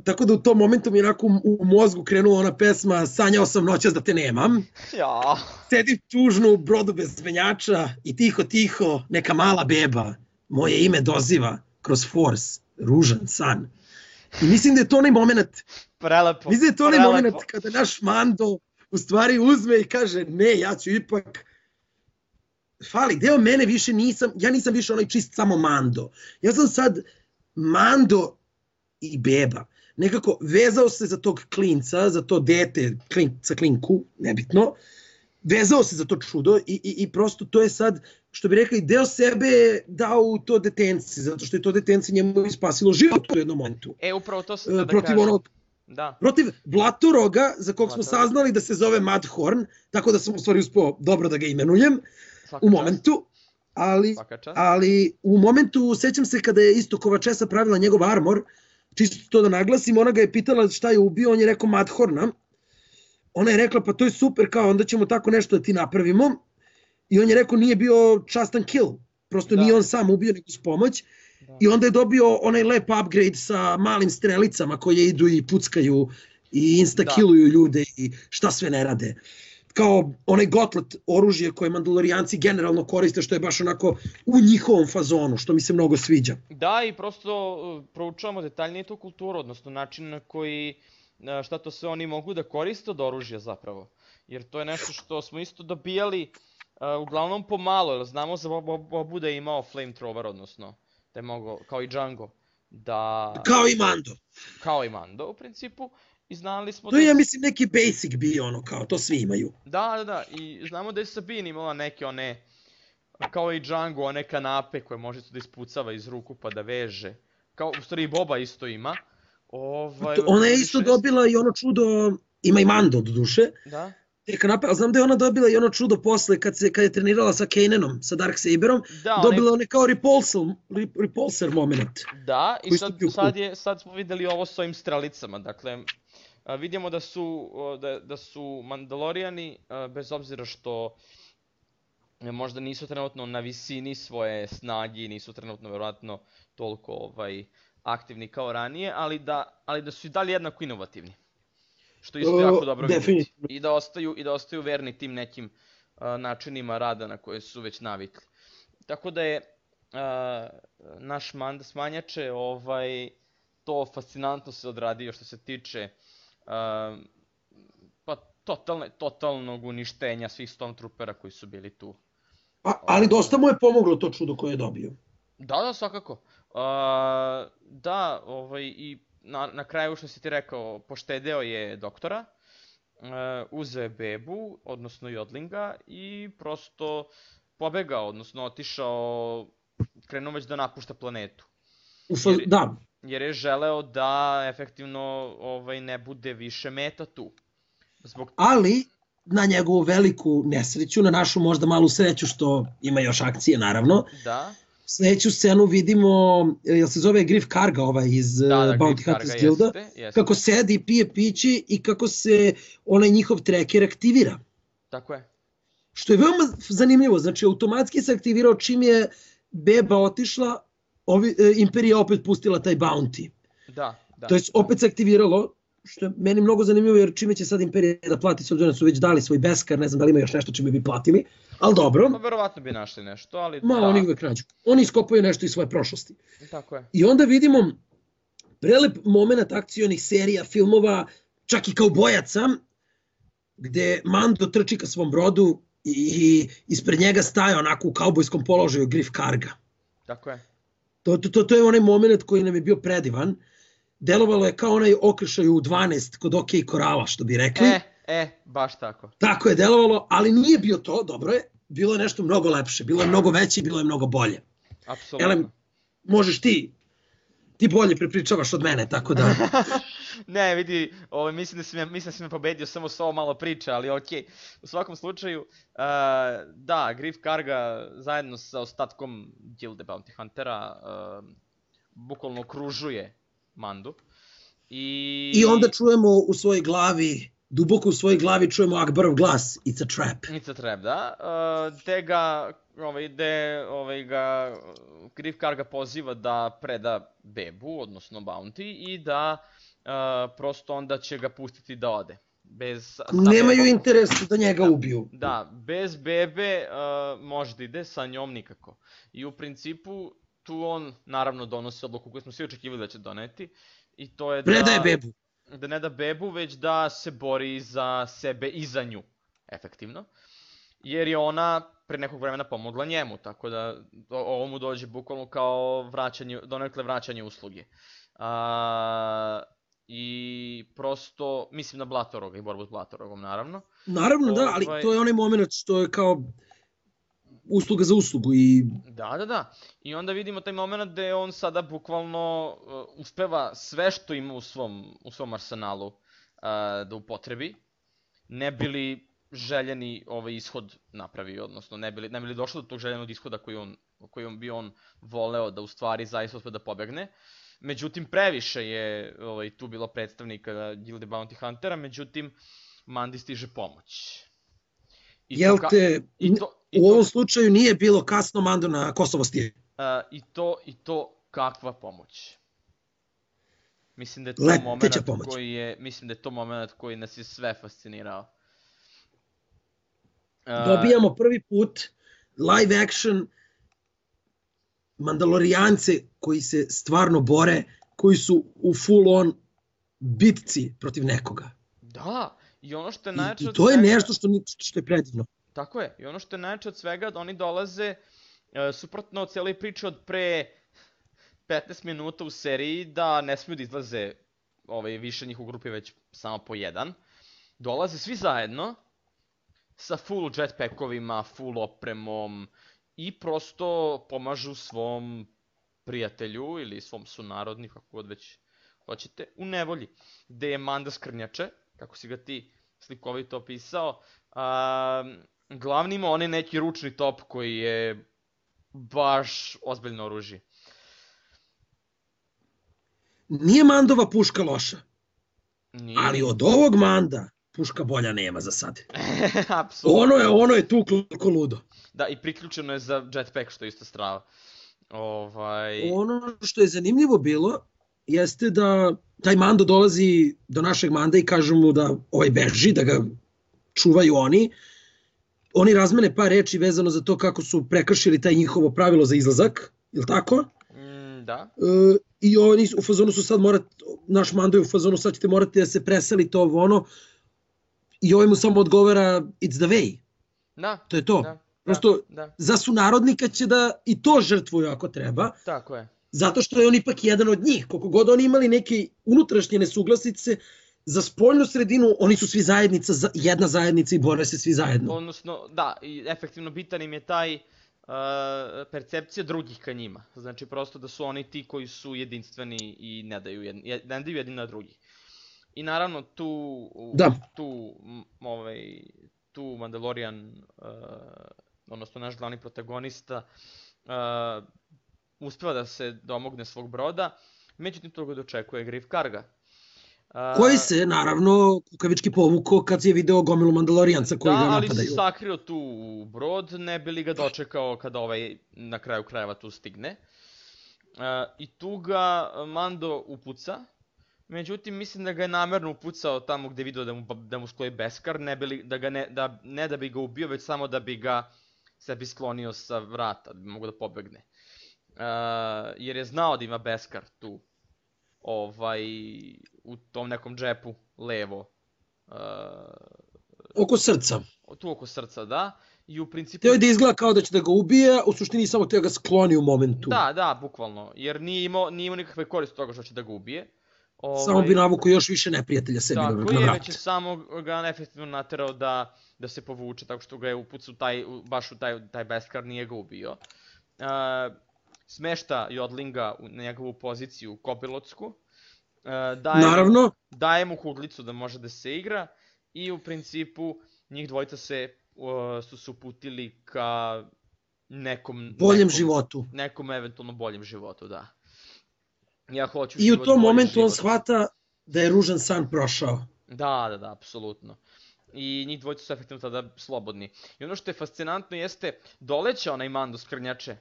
Tako da u tom momentu mi je onako u mozgu krenula ona pesma Sanjao sam noćas da te nemam. Ja. Sedim tužno u brodu bez menjača i tiho, neka mala beba moje ime doziva kroz Force, ružan san. I mislim da je to onaj moment. Prelepo. Mislim da je to onaj moment kada naš Mando u stvari uzme i kaže ne, ja ću ipak... Fali, deo mene više ja nisam više onaj čist samo Mando. Ja sam sad Mando i beba. Nekako vezao se za tog klinca, za to dete, klinku, nebitno, vezao se za to čudo i prosto to je sad, što bi rekli, deo sebe dao u to detenci, zato što je to detenci njemu ispasilo život u jednom momentu. Upravo to sam da kažem. Protiv Blatoroga, za kog smo saznali da se zove Mudhorn, tako da sam u stvari uspio dobro da ga imenujem u momentu. Ali u momentu, sećam se kada je isto Kovačesa pravila njegov armor, čisto to da naglasim, ona ga je pitala šta je ubio, on je rekao Mudhorna. Ona je rekla pa to je super, kao onda ćemo tako nešto da ti napravimo. I on je rekao nije bio častan kill, prosto nije on sam ubio nego s pomoć. I onda je dobio onaj lep upgrade sa malim strelicama koje idu i puckaju i insta-killuju ljude i šta sve ne rade. Kao onaj gotlet oružje koje Mandalorijanci generalno koriste, što je baš onako u njihovom fazonu, što mi se mnogo sviđa. Da, i prosto proučavamo detaljnije tu kulturu, odnosno način na koji, šta to sve oni mogu da koriste od oružja zapravo. Jer to je nešto što smo isto dobijali uglavnom pomalo, jer znamo za Bobu da je imao flamethrower, odnosno da je mogao, kao i Django, da... Kao i Mando, u principu. I znali smo to je, ja mislim, neki basic bio, ono, kao, to svi imaju. Da, i znamo da je Sabine imala neke one, kao i Django, one kanape koje može da ispucava iz ruku pa da veže. Kao, u stvari i Boba isto ima. Ona je isto dobila i ono čudo, ima i Mando do duše. Da. Te kanape, ali znam da je ona dobila i ono čudo posle, kad je trenirala sa Kananom, sa Darksaberom, dobila one kao repulsor moment. Da, i sad smo videli ovo s ovim strelicama, dakle... Vidimo da su Mandalorijani, bez obzira što možda nisu trenutno na visini svoje snage i nisu trenutno verovatno toliko aktivni kao ranije, ali da su i dalje jednako inovativni. Što je isto jako dobro vidjeti. I da ostaju verni tim nekim načinima rada na koje su već navikli. Tako da je naš smanjače to fascinantno se odradio što se tiče totalnog uništenja svih Stormtroopera koji su bili tu. Ali dosta mu je pomoglo to čudo koje je dobio. Da, svakako. Da, i na kraju što si ti rekao, poštedeo je doktora uzeo je bebu, odnosno Jodlinga, i prosto pobegao, odnosno otišao, krenuo već da napušta planetu. Da. Jer je želeo da efektivno ne bude više meta tu. Ali, na njegovu veliku nesreću, na našu možda malu sreću što ima još akcije naravno, da. Sljedeću scenu vidimo, jel se zove Griff Karga iz Bounty Hunters Guilda, kako sedi i pije pići i kako se onaj njihov tracker aktivira. Tako je. Što je veoma zanimljivo, znači automatski se aktivirao čim je beba otišla, Imperija opet pustila taj bounty. Da. To je opet se aktiviralo, što je meni mnogo zanimljivo jer čime će sad Imperija da plati, s obzirom da su već dali svoj beskar, ne znam da li ima još nešto čime bi platili, ali dobro. Pa verovatno bi našli nešto, ali oni uvek nađu. Oni iskopaju nešto iz svoje prošlosti. Tako je. I onda vidimo prelep moment akcionih serija, filmova, čak i kaubojaca, gde Mando trči ka svom brodu i ispred njega staje onako u kaubojskom položaju Griff Karga. Tako je. To je onaj moment koji nam je bio predivan. Delovalo je kao onaj okršaj u 12 kod OK Korala, što bi rekli. Baš tako. Tako je delovalo, ali nije bio to, dobro je. Bilo je nešto mnogo lepše, bilo je mnogo veće i bilo je mnogo bolje. Apsolutno. Možeš ti bolje prepričavaš od mene, tako da... Ne, vidi, mislim da si me pobedio samo s ovo malo priče, ali okej. U svakom slučaju, da, Griff Karga zajedno sa ostatkom Gilde Bounty Huntera bukvalno okružuje Mandu. I onda čujemo u svojoj glavi, duboko u svojoj glavi čujemo Akbarov glas, it's a trap. It's a trap, da. Te ga, Griff Karga poziva da preda bebu, odnosno Bounty, i da prosto onda će ga pustiti da ode. Nemaju interes da njega ubiju. Da, bez bebe može da ide, sa njom nikako. I u principu tu on naravno donosi odluku koju smo svi očekivali da će doneti. I to je da... Predaje bebu. Da ne da bebu, već da se bori za sebe i za nju. Efektivno. Jer je ona pre nekog vremena pomogla njemu, tako da ovo mu dođe bukvalno kao donekle vraćanje usluge. I prosto, mislim na Blatoroga i borbu s Blatorogom, naravno. Naravno, da, ali to je onaj moment što je kao usluga za uslugu i... Da. I onda vidimo taj moment gde on sada bukvalno uspeva sve što ima u svom arsenalu da upotrebi, ne bi li željeni ishod napravio, odnosno ne bi li došlo do tog željenog ishoda koji bi on voleo da u stvari zaista uspe da pobegne. Međutim, previše je tu bilo predstavnika Gilde Bounty Huntera, međutim, Mandi stiže pomoć. Jel te, u ovom slučaju nije bilo kasno Mando na Kosovo stiže? I to kakva pomoć. Mislim da je to moment koji nas je sve fascinirao. Dobijamo prvi put live action Mandalorijance koji se stvarno bore, koji su u full on bitci protiv nekoga. Da, i ono što je najjače od svega... I to je nešto što je predivno. Tako je, i ono što je najjače od svega, da oni dolaze suprotno od cijeloj priče od pre 15 minuta u seriji, da ne smiju da izlaze više njih u grupi, već samo po jedan. Dolaze svi zajedno, sa full jetpackovima, full opremom, i prosto pomažu svom prijatelju ili svom sunarodniku, kako god već hoćete, u nevolji. Gde je Manda skrnjače, kako si ga ti slikovito opisao, glavni ima onaj neki ručni top koji je baš ozbiljno oružje. Nije Mandova puška loša, ali od ovog Manda puška bolja nema za sad. Apsolutno. Ono je tuklo ko ludo. Da, i priključeno je za jetpack, što je isto strava. Ono što je zanimljivo bilo, jeste da taj Mando dolazi do našeg Manda i kažu mu da beži, da ga čuvaju oni. Oni razmene par reči vezano za to kako su prekršili taj njihovo pravilo za izlazak, je li tako? Da. I oni u fazonu su sad naš Mando je u fazonu sad ćete morati da se preselite i mu samo odgovara it's the way. Da. To je to. Prosto za sunarodnika će da i to žrtvuju ako treba. Tako je. Zato što je on ipak jedan od njih. Koliko god oni imali neke unutrašnje nesuglasice, za spoljnu sredinu oni su svi zajednica, jedna zajednica i bore se svi zajedno. Odnosno, da, i efektivno bitan im je taj percepcija drugih ka njima. Znači, prosto da su oni ti koji su jedinstveni i ne daju jedni na drugih. I naravno, tu Mandalorian, odnosno naš glavni protagonista, uspeva da se domogne svog broda, međutim toga dočekuje Greef Karga. Koji se, naravno, kukavički povukao kad je video gomilu Mandalorijanca koji ga napadaju. Da, ali se sakrio tu u brod, ne bi li ga dočekao kada na kraju krajeva tu stigne. I tu ga Mando upuca, međutim mislim da ga je namerno upucao tamo gde je video da mu stoji Beskar, ne da bi ga ubio, već samo da bi ga sebi sklonio sa vrata, da bi mogo da pobegne. Jer je znao da ima Beskar tu, u tom nekom džepu, levo. Oko srca. Tu oko srca, da. I u principu... Teo je da izgleda kao da će da ga ubije, u suštini samo teo ga skloni u momentu. Da, bukvalno. Jer nije imao nikakve koriste toga što će da ga ubije. Samo bi navukao još više neprijatelja sebi na vrat. Tako je, već je samo ga efektivno naterao da se povuče, tako što ga je upucao baš u taj Beskar, nije ga ubio. Smešta Jodlinga na njegovu poziciju kopilotsku. Naravno. Daje mu kuglicu da može da se igra i u principu njih dvojica su se uputili ka nekom... Boljem životu. Nekom eventualno boljem životu, da. Ja hoću I u tom momentu on shvata da je ružan san prošao. Da, apsolutno. I njih dvojica su efektivno tada slobodni. I ono što je fascinantno jeste, doleće onaj Mando Skrnjače.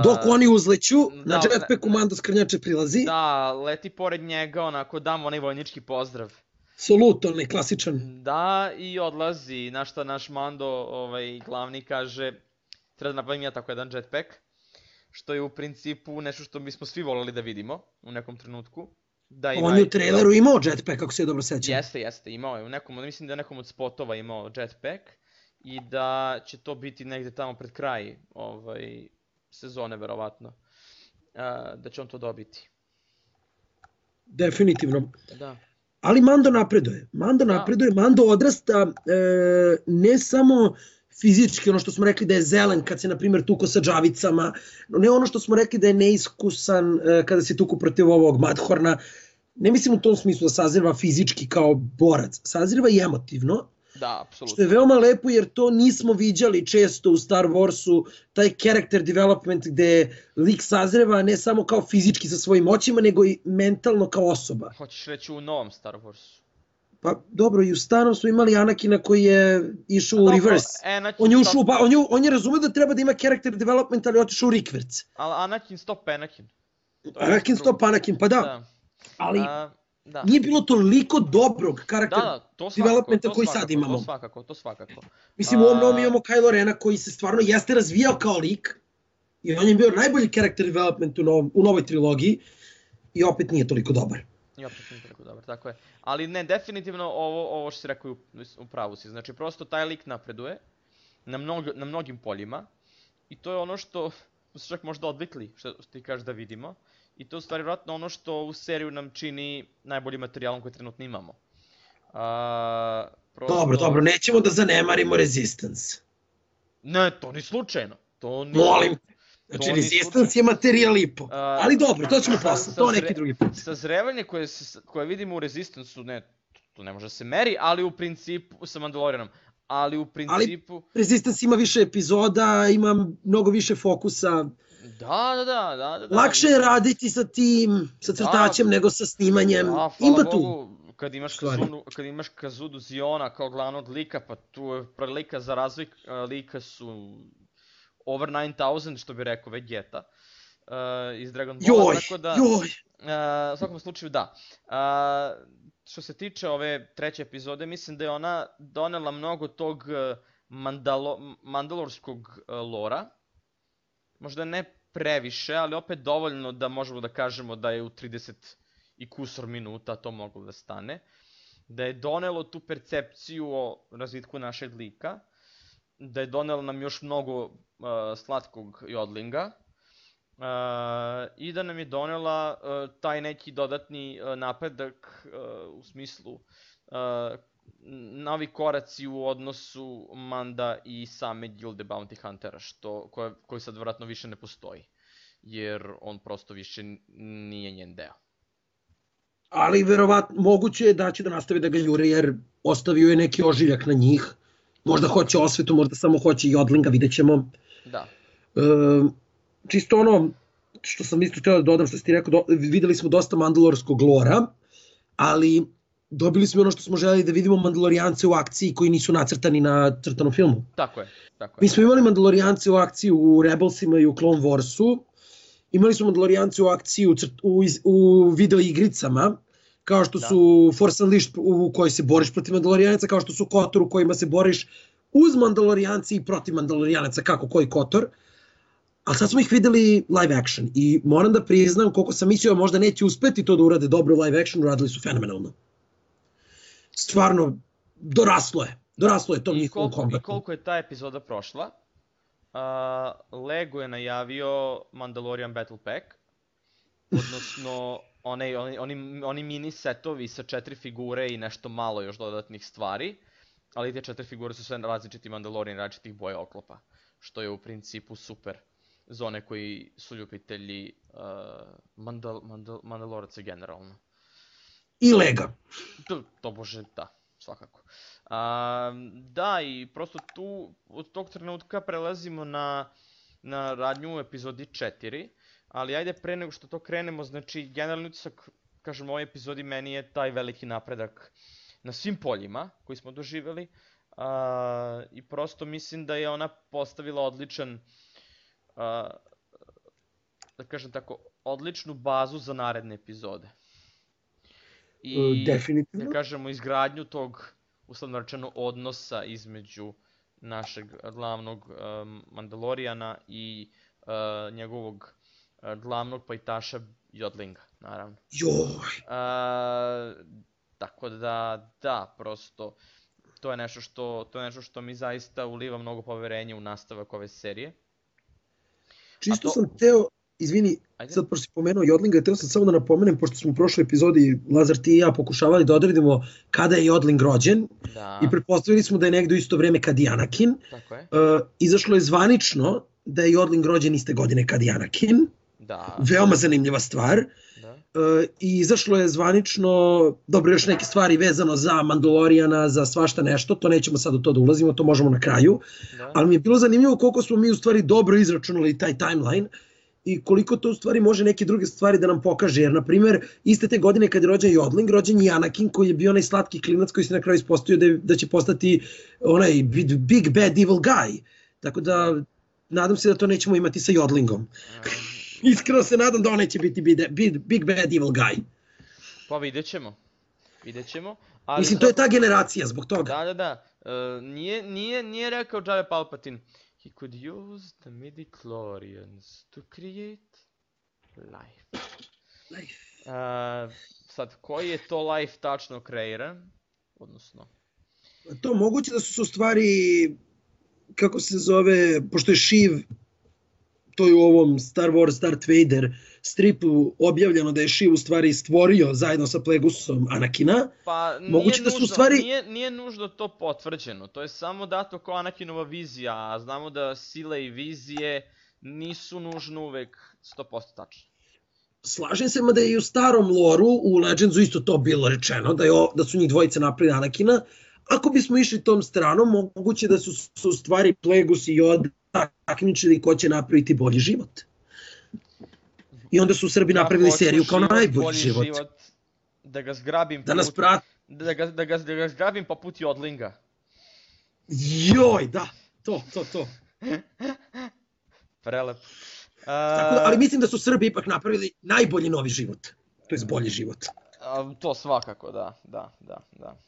Dok oni uzleću, na jetpacku Mando Skrnjače prilazi. Da, leti pored njega, onako dam onaj vojnički pozdrav. Salut, onaj klasičan. Da, i odlazi, na šta naš Mando, glavni, kaže, treba da nabavim ja tako jedan jetpack, što je u principu nešto što bismo svi voleli da vidimo u nekom trenutku. On je u traileru imao jetpack, ako se dobro sećam. Jeste, imao je. Mislim da je nekom od spotova imao jetpack i da će to biti negde tamo pred kraj sezone, verovatno, da će on to dobiti. Definitivno. Da. Ali Mando napreduje. Mando odrasta ne samo fizički, ono što smo rekli da je zelen kad se, na primjer, tuko sa džavicama, ne ono što smo rekli da je neiskusan kada se tuku protiv ovog Madhorna. Ne mislim u tom smislu da sazriva fizički kao borac, sazriva i emotivno. Da, apsolutno. Što je veoma lepo jer to nismo viđali često u Star Warsu, taj character development gde lik sazreva ne samo kao fizički sa svojim moćima, nego i mentalno kao osoba. Hoćeš reći u novom Star Warsu? Pa dobro, i u starom smo imali Anakina koji je išao u reverse. On je razumio da treba da ima character development, ali je otišao u rikverc. Ali Anakin stop Anakin. Anakin stop Anakin, pa da. Ali nije bilo toliko dobrog karakter developmenta koji sad imamo. To svakako. Mislim, u ovom novom imamo Kylo Rena koji se stvarno jeste razvijao kao lik. I on je bio najbolji character development u novoj trilogiji. I opet nije toliko dobar. Tako je. Ali ne, definitivno ovo što si rekao u pravu si. Znači, prosto taj lik napreduje na mnogim poljima. I to je ono što se čak možda odvikli, što ti kažeš da vidimo. I to je u stvari vjerojatno ono što u seriju nam čini najboljim materijalom koji trenutno imamo. Dobro, nećemo da zanemarimo Resistance. Ne, to ni slučajno. Molim. Znači, Resistance je materijal i po. Ali dobro, to ćemo posle, to neki drugi put. Sazrevanje koje vidimo u Resistanceu, to ne može da se meri, ali u principu, sa Mandalorianom, ali u principu... Ali Resistance ima više epizoda, ima mnogo više fokusa. Da. Lakše je raditi sa tim, sa crtačem, nego sa snimanjem. Ima tu. Kad imaš Kazudu Ziona kao glavnog lika, pa tu je prilika za razvoj lika su over 9000, što bi rekao Vegeta iz Dragon Balla. U svakom slučaju da. Što se tiče ove treće epizode, mislim da je ona donela mnogo tog mandalorskog lora. Možda ne previše, ali opet dovoljno da možemo da kažemo da je u 30 i kusor minuta to moglo da stane. Da je donelo tu percepciju o razvitku našeg lika. Da je donelo nam još mnogo slatkog jodlinga. I da nam je donela taj neki dodatni napredak u smislu novi koraci u odnosu Manda i same gilde Bounty Huntera, koji sad vjerojatno više ne postoji, jer on prosto više nije njen deo. Ali verovatno moguće je da će da nastavi da ga jure, jer ostavio je neki ožiljak na njih. Možda hoće osvetu, možda samo hoće Jodlinga, vidjet ćemo. Da. Čisto ono što sam isto htio da dodam, što si ti rekao, videli smo dosta mandalorskog lora, ali dobili smo ono što smo želeli da vidimo, Mandalorijance u akciji koji nisu nacrtani na crtanom filmu. Tako je. Mi smo imali Mandalorijance u akciji u Rebelsima i u Clone Warsu, imali smo Mandalorijance u akciji u video igricama, kao što su Force Unleashed u kojoj se boriš protiv Mandalorijanaca, kao što su Kotor u kojima se boriš uz Mandalorijance i protiv Mandalorijanaca, kako koji Kotor. Ali sad smo ih videli live action i moram da priznam, koliko sam mislio možda neće uspeti to da urade dobro live action, uradili su fenomenalno. Stvarno, doraslo je tom njihovom kombatu. I koliko je ta epizoda prošla, Lego je najavio Mandalorian Battle Pack, odnosno oni mini setovi sa 4 figure i nešto malo još dodatnih stvari, ali te 4 figure su sve različiti Mandalorian, različitih boja oklopa, što je u principu super za one koji su ljubitelji Mandaloraca generalno. I Lega. To bože, da, svakako. Da, i prosto tu, od tog trenutka prelazimo na radnju u epizodi 4, ali ajde pre nego što to krenemo, znači generalni utisak, kažem, u ovoj epizodi meni je taj veliki napredak na svim poljima koji smo doživjeli i prosto mislim da je ona postavila odličan, da kažem tako, odličnu bazu za naredne epizode. I, definitivno. da kažemo, izgradnju tog, uslovno rečeno, odnosa između našeg glavnog Mandalorijana i njegovog glavnog pajtaša Jodlinga, naravno. Joj! Tako da, prosto, to je nešto što mi zaista uliva mnogo poverenja u nastavak ove serije. Čisto sam teo, izvini, sad pošto si pomenuo Jodlinga, teo sam samo da napomenem, pošto smo u prošloj epizodi, Lazar, ti i ja, pokušavali da odredimo kada je Jodling rođen i pretpostavili smo da je negdje u isto vreme kad i Anakin. Tako je. Izašlo je zvanično da je Jodling rođen iste godine kad i Anakin. Da. Veoma zanimljiva stvar. I izašlo je zvanično, dobro, još neke stvari vezano za Mandalorijana, za svašta nešto, to nećemo sad u to da ulazimo, to možemo na kraju, ali mi je bilo zanimljivo koliko smo mi u stvari dobro izračunali taj timeline i koliko to u stvari može neke druge stvari da nam pokaže, jer na primjer iste te godine kad je rođen Jodling, rođen je Anakin koji je bio onaj slatki klinac koji se na kraju ispostavio da će postati onaj big bad evil guy, tako da nadam se da to nećemo imati sa Jodlingom. Iskreno se nadam da on neće biti big bad evil guy. Pa vidjet ćemo. Mislim, to je ta generacija zbog toga. Da. Nije rekao Jabba Palpatine. He could use the midichlorians to create life. Sad, koji je to life tačno kreiran? Odnosno... To moguće da su u stvari, kako se zove, pošto je Šiv, to je u ovom Star Wars Darth Vader stripu objavljeno da je Šiv u stvari stvorio zajedno sa Plegusom Anakina. Pa nije nužno to potvrđeno, to je samo dato kao Anakinova vizija, a znamo da sile i vizije nisu nužno uvek 100% tačne. Slažem se, mada je i u starom loru, u Legendsu isto to bilo rečeno, da su njih dvojice napravili Anakina. Ako bismo išli tom stranom, moguće da su u stvari Plegus i Yoda takmičili ko će napraviti bolji život. I onda su Srbi napravili seriju kao najbolji život. Da ga zgrabim da ga zgrabim poput Jodlinga. Joj, da, to. Prelep. Ali mislim da su Srbi ipak napravili najbolji novi život. To je bolji život. To svakako, da.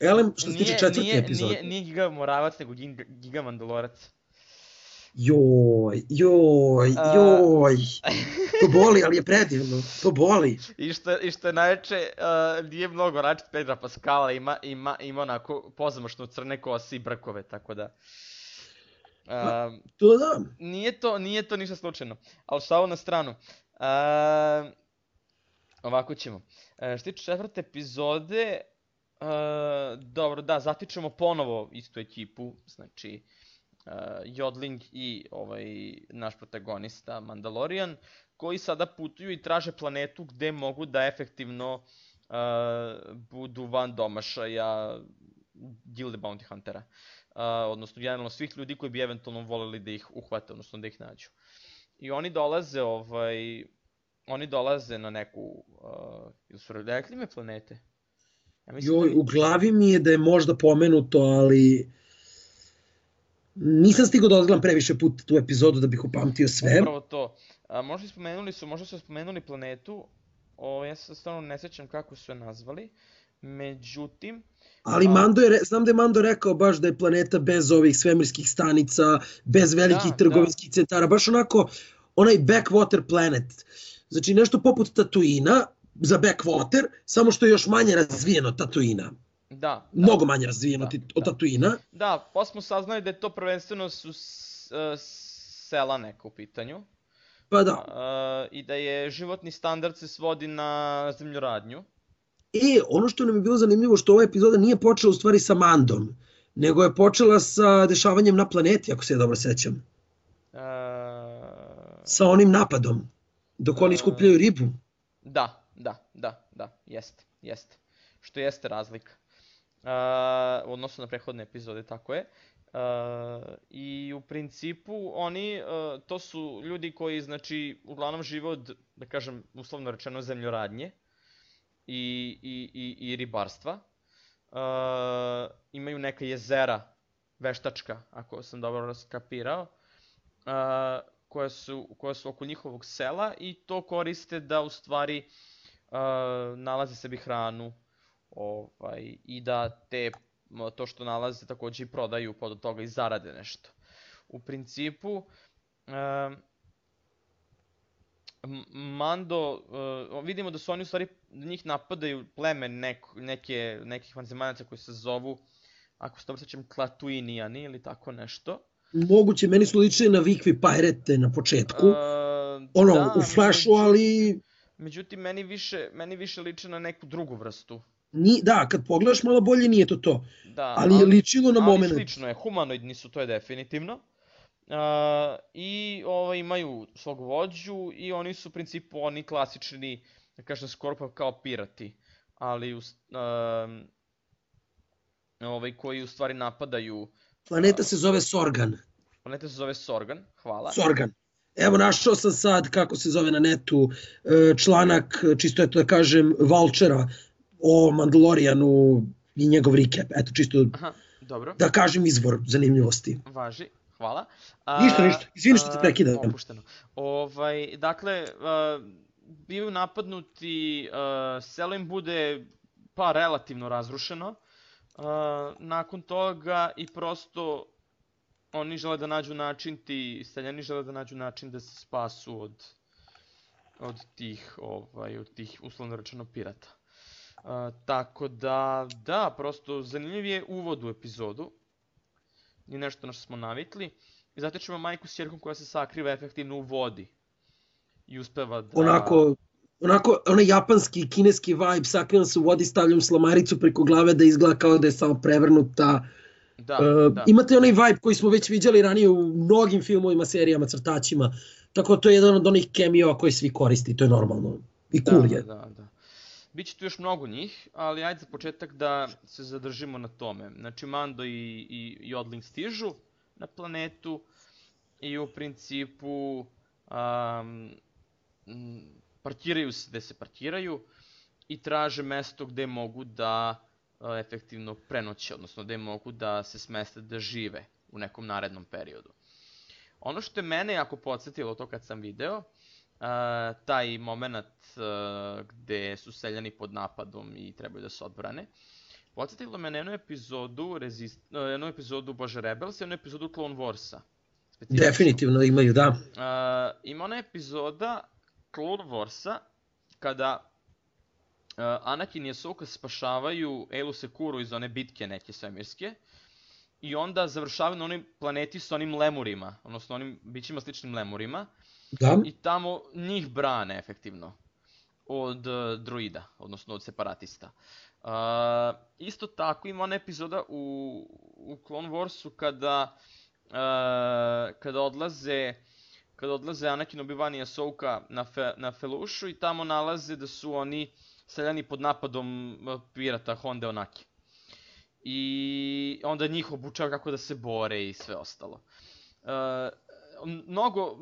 Elem, što se tiče četvrti epizod. Nije Giga Moravac, nego Giga Mandalorac. Joj. To boli, ali je predivno. To boli. I što je najveće, nije mnogo različit Pedra Pascala, ima onako pozamašno crne kose i brkove, tako da... To da. Nije to ništa slučajno, ali šalu na stranu. Ovako ćemo. Što tiče četvrte epizode, dobro, da, zatičemo ponovo istu ekipu, znači Jodling i naš protagonista Mandalorian, koji sada putuju i traže planetu gde mogu da efektivno budu van domašaja Gilde Bounty Huntera. Odnosno, generalno svih ljudi koji bi eventualno voleli da ih uhvate, odnosno da ih nađu. I oni dolaze na neku, ili su rekli me planete? Joj, u glavi mi je da je možda pomenuto, ali nisam stigao da odgledam previše puta tu epizodu da bih upamtio sve. Upravo to. Možda su spomenuli planetu, ja se stvarno ne sećam kako su je nazvali, međutim... Ali znam da je Mando rekao baš da je planeta bez ovih svemirskih stanica, bez velikih trgovinskih centara, baš onako, onaj backwater planet. Znači nešto poput Tatooina za backwater, samo što je još manje razvijeno Tatooina. Da. Mnogo manje razvijeno od Tatooina. Da, pa smo saznali da je to prvenstveno su sela neka u pitanju. Pa da. I da je životni standard se svodi na zemljoradnju. Ono što nam je bilo zanimljivo, što ova epizoda nije počela u stvari sa Mandom, nego je počela sa dešavanjem na planeti, ako se ja dobro sećam. Sa onim napadom, dok oni skupljaju ribu. Da, jeste. Što jeste razlika. U odnosu na prethodne epizode, tako je. I u principu to su ljudi koji, znači, uglavnom žive od, da kažem, uslovno rečeno, zemljoradnje i ribarstva. Imaju neka jezera veštačka, ako sam dobro skapirao, koja su oko njihovog sela i to koriste da u stvari nalaze sebi hranu i da to što nalaze takođe i prodaju pa od toga i zarade nešto. U principu, Mando, vidimo da su oni u stvari, da njih napadaju pleme nekih vanzemaljca koji se zovu, ako se dobro sećam, Klatuinijani ili tako nešto. Moguće, meni su ličili na Vikvi Pirate na početku, u Flashu, ali... Međutim, meni više liče na neku drugu vrstu. Da, kad pogledaš malo bolje nije to, ali je ličilo na moment. Ali slično je, humanoidni su, to je definitivno. I imaju svog vođu i oni su u principu oni klasični, da kažem, skoro pa kao pirati, ali koji u stvari napadaju... Planeta se zove Sorgan. Hvala. Sorgan. Evo, našao sam sad, kako se zove na netu, članak, čisto eto da kažem, Vulture-a o Mandalorianu i njegov recap. Eto, čisto da kažem izvor zanimljivosti. Važi, hvala. Ništa, izvini što te prekidam. Opušteno. Dakle, bivaju napadnuti, selo im bude pa relativno razrušeno. Nakon toga i prosto oni žele da nađu način, ti seljani žele da nađu način da se spasu od tih uslovno rečeno pirata. Tako da, prosto zanimljiv je uvod u epizodu. Nije nešto na što smo navikli. I zatičemo majku s ćerkom koja se sakriva efektivno u vodi. I uspeva da... Onako, onaj japanski, kineski vibe, sakrivam se u vodi, stavljam slamaricu preko glave da izgleda kao da je samo prevrnuta. Imate onaj vibe koji smo već viđali ranije u mnogim filmovima, serijama, crtačima. Tako to je jedan od onih cameo koji svi koristi, to je normalno. I cool je. Da. Biće tu još mnogo njih, ali ajde za početak da se zadržimo na tome. Znači, Mando i Jodling stižu na planetu i u principu parkiraju se gde se parkiraju i traže mesto gde mogu da efektivno prenoće, odnosno gde mogu da se smeste da žive u nekom narednom periodu. Ono što je mene jako podsjetilo to kad sam video, taj moment gde su seljani pod napadom i trebaju da se odbrane, podsjetilo me na jednu epizodu Rebels i jednu epizodu Clone Warsa. Definitivno imaju, da. Ima ona epizoda Clone Warsa kada Anakin i Ahsoka spašavaju Aayla Securu iz one bitke neke svemirske i onda završavaju na onoj planeti s onim lemurima, odnosno onim bićima sličnim lemurima, Da, i tamo njih brane efektivno od droida, odnosno od separatista. Isto tako ima ona epizoda u Clone Warsu kada odlaze Anakin, Obi-Wan i Ahsoka na Felušu i tamo nalaze da su oni seljani pod napadom pirata Honde Onaki. I onda njih obučava kako da se bore i sve ostalo. Mnogo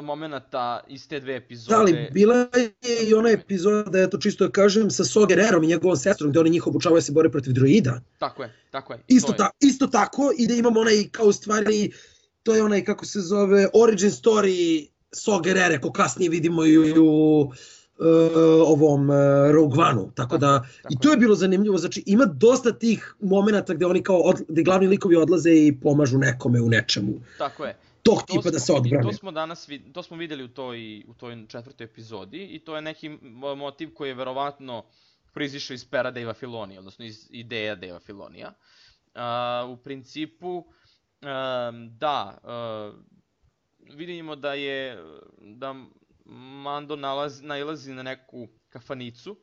momenata iz te dve epizode. da, ali bila je i ona epizoda, eto čisto da kažem, sa Saw Gerrerom i njegovom sestrom, gde oni njih obučavaju da se bore protiv droida. Tako je. Isto tako, i da imamo onaj, kao u stvari, to je onaj, kako se zove, origin story Saw Gerrera, ko kasnije vidimo i u ovom Rogue One-u, tako da, i to je bilo zanimljivo, znači ima dosta tih momenata gde oni kao, gde glavni likovi odlaze i pomažu nekome u nečemu. Tako je. Tog tipa da se odbrane. To smo videli u toj četvrtoj epizodi i to je neki motiv koji je verovatno proizišao iz pera Dave Filoni, odnosno iz ideja Dave Filonija. U principu, vidimo da Mando nailazi na neku kafanicu,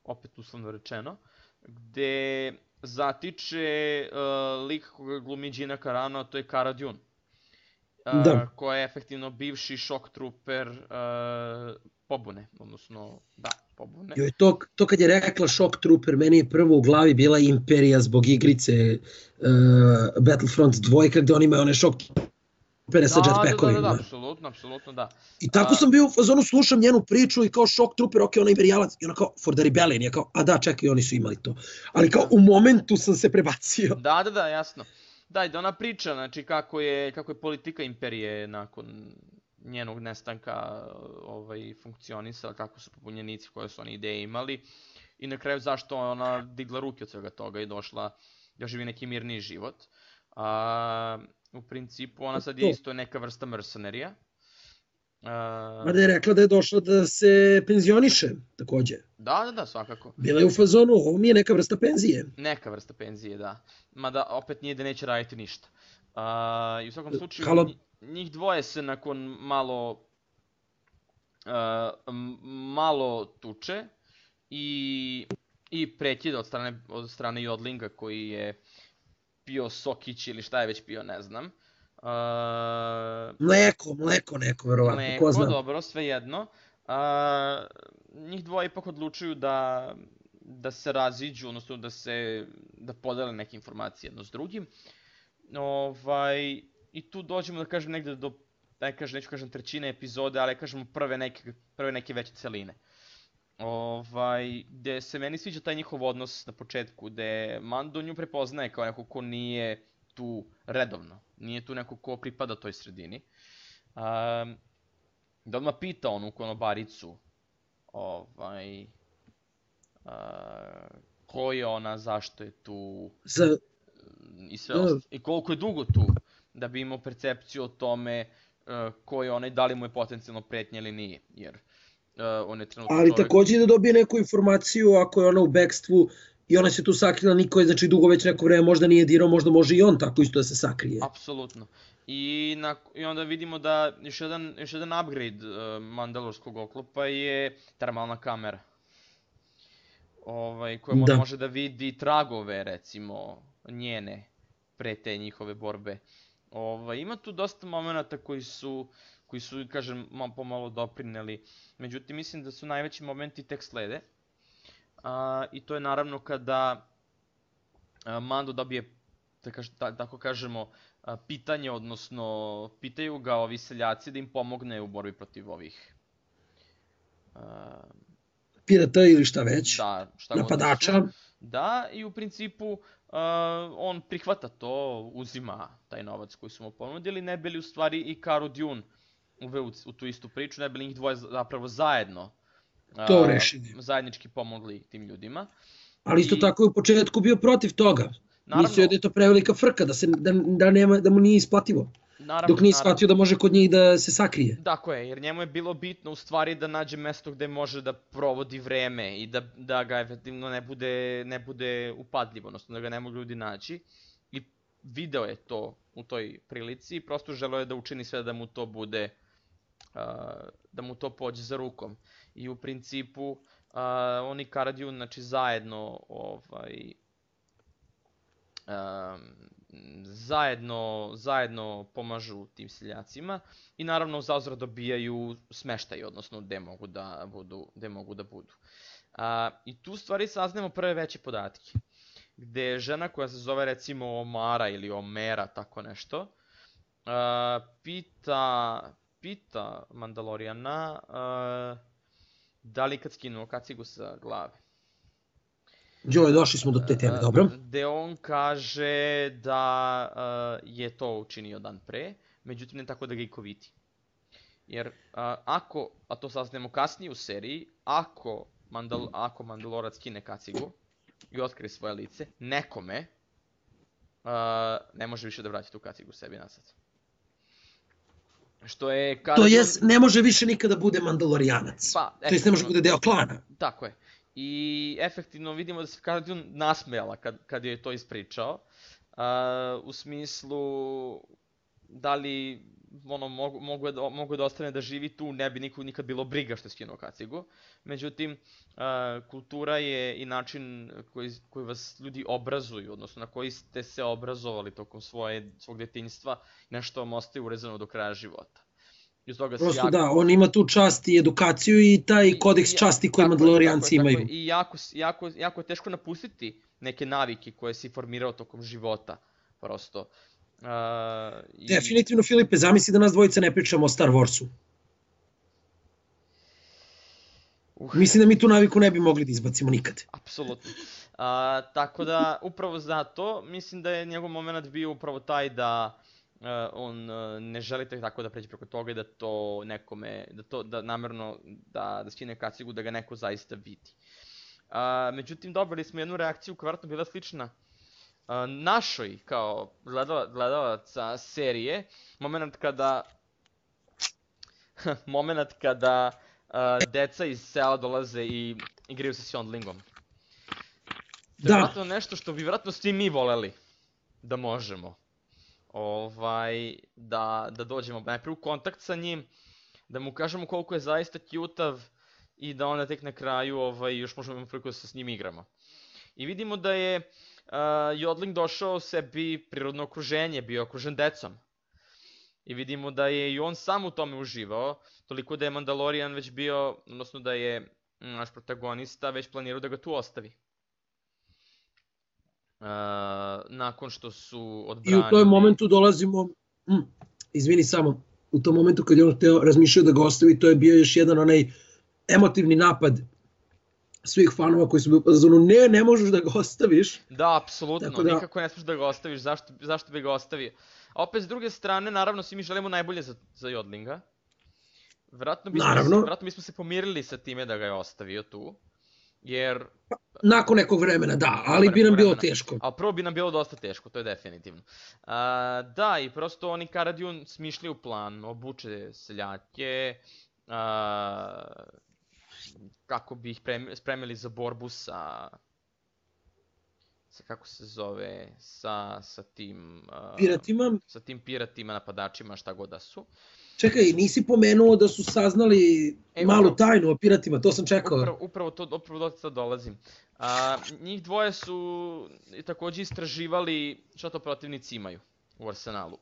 opet uslovno rečeno, gde zatiče lik koga glumi Gina Carano, a to je Cara Dune. Koja je efektivno bivši shock trooper pobune, odnosno, pobune. Joj, to kad je rekla shock trooper, meni je prvo u glavi bila Imperija zbog igrice Battlefront 2, gde oni imaju one shock troopere sa jetpackovima. Da, apsolutno, da. I tako sam bio u fazonu, slušam njenu priču i kao shock trooper, ok, ona imperijalac, i ona kao, for the rebellion, ja kao, a da, čekaj, oni su imali to. Ali kao, u momentu sam se prebacio. Da, jasno. Da, i da ona priča, znači, kako je politika imperije nakon njenog nestanka funkcionisala, kako su pobunjenici, koje su oni ideje imali, i na kraju zašto ona digla ruke od svega toga i došla da živi neki mirniji život. U principu, ona sad je isto neka vrsta mercenerija. Mada je rekla da je došla da se penzioniše, takođe. Da, svakako. Bila je u fazonu, ovo mi je neka vrsta penzije. Neka vrsta penzije, da. Mada opet nije da neće raditi ništa. I u svakom slučaju, njih dvoje se nakon malo tuče i prekida od strane Jodlinga koji je pio sokić ili šta je već pio, ne znam. Mleko neko, verovatno, ko zna. Dobro, svejedno. Njih dvoje ipak odlučuju da se raziđu, odnosno da podele neke informacije jedno s drugim. I tu dođemo, da kažem, negde do, neću kažem trećine epizode, ali kažemo prve neke veće celine. Gde se meni sviđa taj njihov odnos na početku, gde Mando nju prepoznaje kao neko ko nije tu redovno, nije tu neko ko pripada toj sredini. Da odmah pita onu konobaricu ko je ona, zašto je tu i sve ostalo. I koliko je dugo tu, da bi imao percepciju o tome ko je ona i da li mu je potencijalno pretnja ili nije, jer on je trenutno čovjek. Ali takođe da dobije neku informaciju ako je ona u bekstvu i ona se tu sakrila, niko je znači dugo već neko vreme možda nije dirao, možda može i on tako isto da se sakrije. Apsolutno. I onda vidimo da još jedan upgrade mandalorskog oklopa je termalna kamera. Koja može da vidi tragove, recimo, njene pre te njihove borbe. Ima tu dosta momenata koji su, kažem, pomalo doprineli. Međutim, mislim da su najveći momenti tek slede. I to je naravno kada Mando dobije, tako kažemo, pitanje, odnosno pitaju ga ovi seljaci da im pomogne u borbi protiv ovih pirata ili šta već, napadača. Da, i u principu on prihvata to, uzima taj novac koji su mu ponudili, ne bi li u stvari i Cara Dune uveo u tu istu priču, ne bi li njih dvoje zapravo zajedno zajednički pomogli tim ljudima. Ali isto tako je u početku bio protiv toga. Mislio je da je to prevelika frka, da mu nije isplativo. Dok nije shvatio da može kod njih da se sakrije. Tako je, jer njemu je bilo bitno u stvari da nađe mesto gde može da provodi vreme i da ga efektivno ne bude upadljivo, odnosno da ga ne mogu ljudi naći. I video je to u toj prilici i prosto želeo je da učini sve da mu to bude, da mu to pođe za rukom. I u principu oni Cara Dune, znači zajedno zajedno pomažu tim seljacima i naravno zauzvrat dobijaju smeštaj, odnosno gde mogu da budu. I tu stvari saznamo prve veće podatke, gde žena koja se zove recimo Omara ili Omera, tako nešto, pita Mandalorijana da li kad skinu kacigu sa glave. Joj, došli smo do te teme, dobro. Gde on kaže da je to učinio dan pre, međutim ne tako da ga iko vidi. Jer ako, a to saznemo kasnije u seriji, ako Mandalorac skine kacigu i otkrije svoje lice, nekome ne može više da vrati tu kacigu sebi nazad. Što je... To jest, ne može više nikada bude Mandalorijanac. To jest, ne može bude deo klana. Tako je. I efektivno vidimo da se Cara Dune nasmejala kad je to ispričao. U smislu, da li mogu da ostane da živi tu, ne bi nikad bilo briga što je skinuo kacigu. Međutim, kultura je i način koji vas ljudi obrazuju, odnosno na koji ste se obrazovali tokom svog detinjstva, nešto vam ostaje urezano do kraja života. Prosto da, on ima tu čast i edukaciju i taj kodeks časti koji Mandalorijanci imaju. I jako je teško napustiti neke navike koje si formirao tokom života, prosto. Definitivno, Filipe, zamisli da nas dvojica ne pričamo o Star Warsu. Mislim da mi tu naviku ne bi mogli da izbacimo nikad. Apsolutno. Tako da, upravo zato, mislim da je njegov moment bio upravo taj da on ne želi tako da pređe preko toga i da to nekome, da namerno da skine kacigu, da ga neko zaista vidi. Međutim, dobili smo jednu reakciju koja je vjerojatno bila slična našoj kao gledalaca serije, moment kada deca iz sela dolaze i igraju se s Yondlingom. To je vjerojatno nešto što bi vjerojatno svi mi voleli da možemo. Da dođemo najprije u kontakt sa njim, da mu kažemo koliko je zaista cute-av i da onda tek na kraju još možemo imati priliku da se s njim igramo. I vidimo da je Yondling došao sebi prirodno okruženje, bio okružen decom. I vidimo da je i on sam u tome uživao, toliko da je Mandalorian već bio, odnosno da je naš protagonista već planirao da ga tu ostavi. Nakon što su odbranili... I u tom momentu dolazimo, izvini samo, u tom momentu kad je on razmišljao da ga ostavi, to je bio još jedan onaj emotivni napad svih fanova koji su bili pozvano, ne možeš da ga ostaviš. Da, apsolutno, nikako ne smiješ da ga ostaviš, zašto bi ga ostavio? A opet s druge strane, naravno svi mi želimo najbolje za Yondlinga. Vjerojatno bismo se pomirili sa time da ga je ostavio tu. Jer... Nakon nekog vremena, da, ali bi nam bilo teško. Ali prvo bi nam bilo dosta teško, to je definitivno. Da, i prosto oni Cara Dune smišljaju plan, obuče seljake, kako bi ih spremili za borbu sa kako se zove, sa tim... Piratima? Sa tim piratima, napadačima, šta god da su. Čekaj, nisi pomenuo da su saznali malu tajnu o piratima, to sam čekao. Upravo do sada dolazim. Njih dvoje su također istraživali šta to protivnici imaju u arsenalu.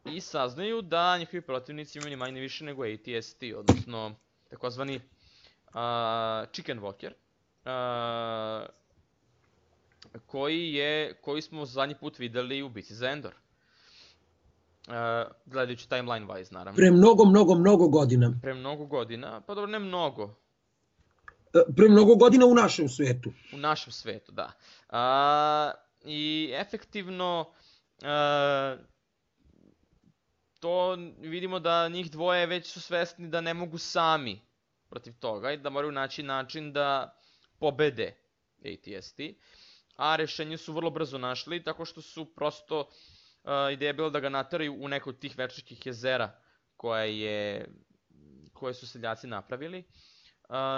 I saznaju da njihovi protivnici imaju ni manje više nego AT-ST, odnosno takozvani Chicken Walker, koji smo zadnji put videli u bici za Endor. Gledajući timeline wise, naravno. Pre mnogo godina. Pre mnogo godina, pa dobro, ne mnogo. Pre mnogo godina u našem svetu. U našem svetu, da. I efektivno, to vidimo da njih dvoje već su svesni da ne mogu sami protiv toga i da moraju naći način da pobede AT-ST. A rešenje su vrlo brzo našli, tako što su prosto... Ideja je bila da ga nateraju u neko od tih večničkih jezera koje su seljaci napravili,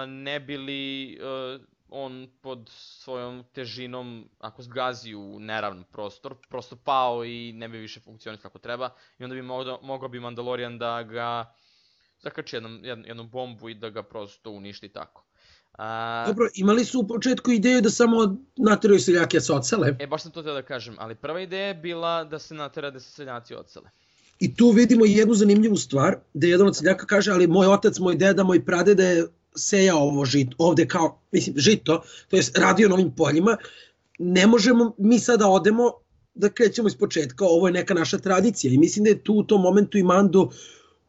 ne bili on pod svojom težinom, ako zgazi u neravn prostor, prosto pao i ne bi više funkcionisao kako treba. I onda bi mogao bi Mandalorian da ga zakači jednu bombu i da ga prosto uništi tako. Dobro, imali su u početku ideju da samo nateraju seljake da se odsele. Baš sam to htio da kažem, ali prva ideja je bila da se natera da se seljaci odsele. I tu vidimo jednu zanimljivu stvar, da jedan od seljaka kaže, ali moj otac, moj deda, moj pradeda je sejao ovo žito, ovde kao, mislim, žito, to je radio na ovim poljima, ne možemo mi sada odemo da krećemo iz početka, ovo je neka naša tradicija i mislim da je tu u tom momentu i Mando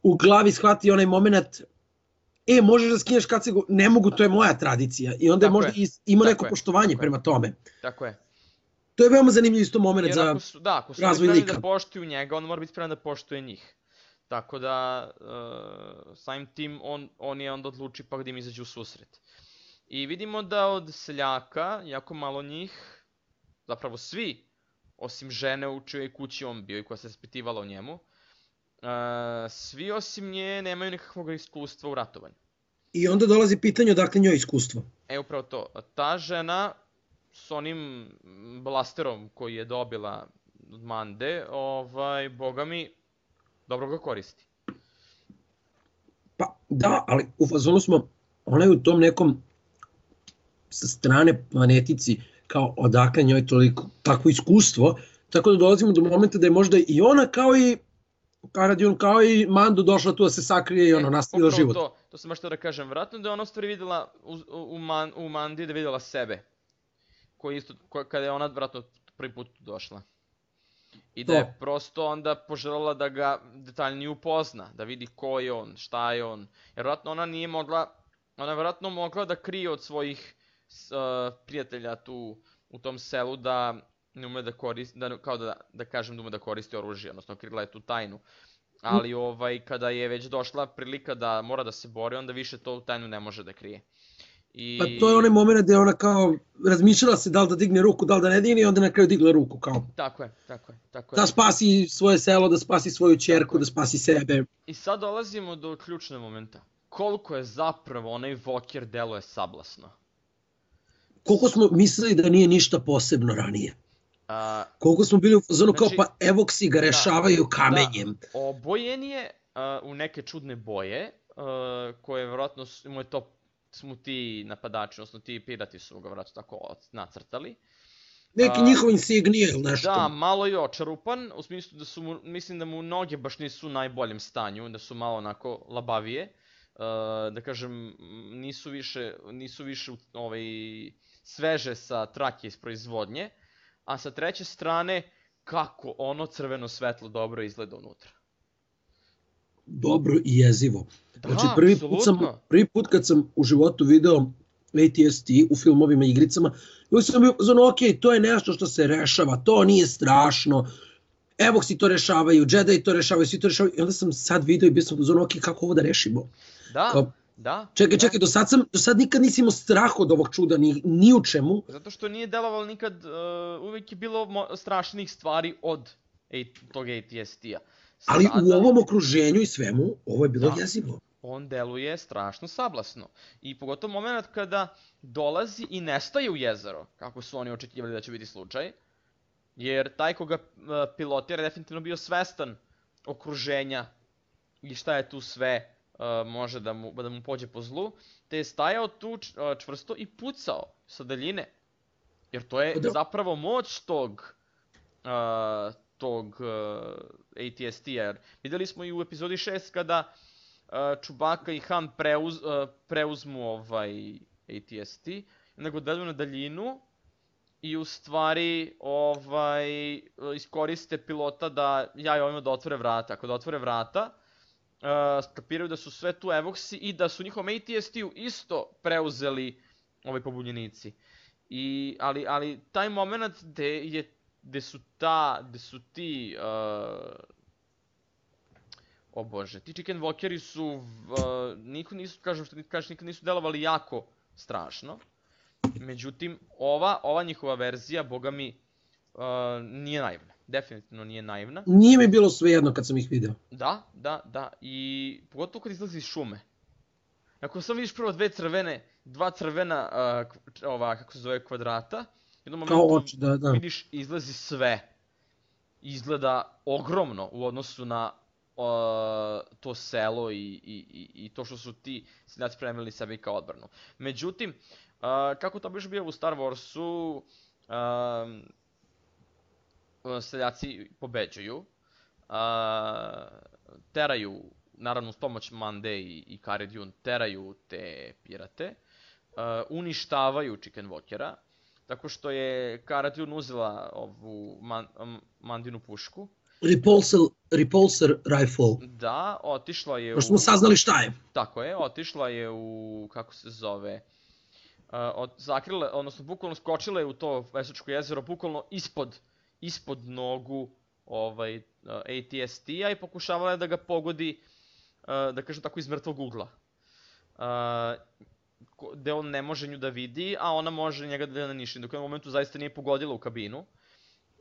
u glavi shvati onaj moment, možeš da skineš kacigu, ne mogu, to je moja tradicija i onda je možda ima neko poštovanje prema tome. Tako je. To je veoma zanimljiv isto moment za razvoj lika. Ako su spremni da poštuju njega, on mora biti spreman da poštuje njih. Tako da, samim tim, on je onda odluči pa gdje im izađe u susret. I vidimo da od seljaka, jako malo njih, zapravo svi, osim žene u čijoj kući on bio i koja se raspitivala o njemu, svi osim nje nemaju nekakvog iskustva u ratovanju. I onda dolazi pitanje odakle njoj iskustvo. Upravo to. Ta žena s onim blasterom koji je dobila od Mande, boga mi, dobro ga koristi. Pa da, ali u fazonu smo, ona je u tom nekom sa strane planetici kao odakle njoj takvo iskustvo, tako da dolazimo do momenta da je možda i ona kao i Karadion, kao i Mando došla tu da se sakrije i nastavila život. To sam baš htio da kažem, vjerojatno da je ona u stvari vidjela u Mandi da je vidjela sebe. Kada je ona vjerojatno prvi put došla. I da je prosto onda poželjela da ga detaljnije upozna, da vidi ko je on, šta je on. Jer vjerojatno ona nije mogla, ona je vjerojatno mogla da krije od svojih prijatelja tu u tom selu da ne ume da koristi, kao da kažem da ume da koristi oružje, odnosno krila je tu tajnu. Ali kada je već došla prilika da mora da se bori, onda više to tajnu ne može da krije. Pa to je onaj moment gdje ona kao razmišljala se da li da digne ruku, da li da ne digne i onda na kraju digla ruku kao. Tako je. Da spasi svoje selo, da spasi svoju ćerku, da spasi sebe. I sad dolazimo do ključnog momenta. Koliko je zapravo onaj Walker deluje sablasno. Koliko smo mislili da nije ništa posebno ranije. Koliko smo bili u fazonu kao pa evoksi ga rešavaju kamenjem. Obojen je u neke čudne boje, koje vjerojatno mu je to smo ti napadači, odnosno ti pirati su ga vratno tako nacrtali. Neki njihov insignije ili nešto. Da, malo je očarupan, u smislu da su mu, mislim da mu noge baš nisu u najboljem stanju, da su malo onako labavije. Da kažem, nisu više sveže sa trake iz proizvodnje, a sa treće strane, kako ono crveno svetlo dobro izgleda unutra. Dobro i jezivo. Znači, prvi put kad sam u životu video ATST u filmovima i igricama, uvijek sam bio ono, ok, to je nešto što se rešava, to nije strašno, Evoksi to rešavaju, Jedi to rešavaju, svi to rešavaju, i onda sam sad video i bio sam ono, ok, kako ovo da rešimo? Da. Čekaj, do sad nikad nisi imao strah od ovog čuda, ni u čemu. Zato što nije delovalo nikad, uvijek je bilo strašnih stvari od tog ATST-a. Ali u ovom okruženju i svemu, ovo je bilo jezivo. On deluje strašno sablasno. I pogotovo moment kada dolazi i nestaje u jezero, kako su oni očekivali da će biti slučaj. Jer taj koga pilotira je definitivno bio svestan okruženja i šta je tu sve može da mu pođe po zlu. Te je stajao tu čvrsto i pucao sa daljine. Jer to je zapravo moć tog ATST-a, jer vidjeli smo i u epizodi 6 kada Chewbacca i Han preuzmu ATST, onda ga daju na daljinu i u stvari iskoriste pilota da jaju ovima da otvore vrata. Ako da otvore vrata, skapiraju da su sve tu evoksi i da su njihovom ATST-u isto preuzeli pobunjenici. Ali taj moment gde su ti, o bože, ti Chicken Walkeri su, nikad nisu delovali jako strašno. Međutim, ova njihova verzija, boga mi, nije naivna. Definitivno nije naivna. Nije mi bilo svejedno kad sam ih video. Da. I pogotovo kad izlazi iz šume. Ako samo vidiš prvo dve crvene dva crvena, kako se zove, kvadrata. U jednom Kao momentu oči, da. vidiš izlazi sve. Izgleda ogromno u odnosu na to selo i to što su ti seljaci spremili sebi kao odbranu. Međutim, kako to biš bio u Star Warsu, seljaci pobeđuju, teraju, naravno uz pomoć Mande i Cara Dune, teraju te pirate, uništavaju Chicken Walkera, tako što je Cara Dune uzela ovu Mandinu pušku. Repulsor rifle. Da, otišla je Pošto smo saznali šta je. Tako je, otišla je u, kako se zove, zakrila, odnosno bukvalno skočila je u to Vesočko jezero, bukvalno ispod nogu AT-ST-a i pokušavala je da ga pogodi, da kažem tako, iz mrtvog ugla. Gde on ne može nju da vidi, a ona može njega da naniši. Dok u jednom momentu zaista nije pogodila u kabinu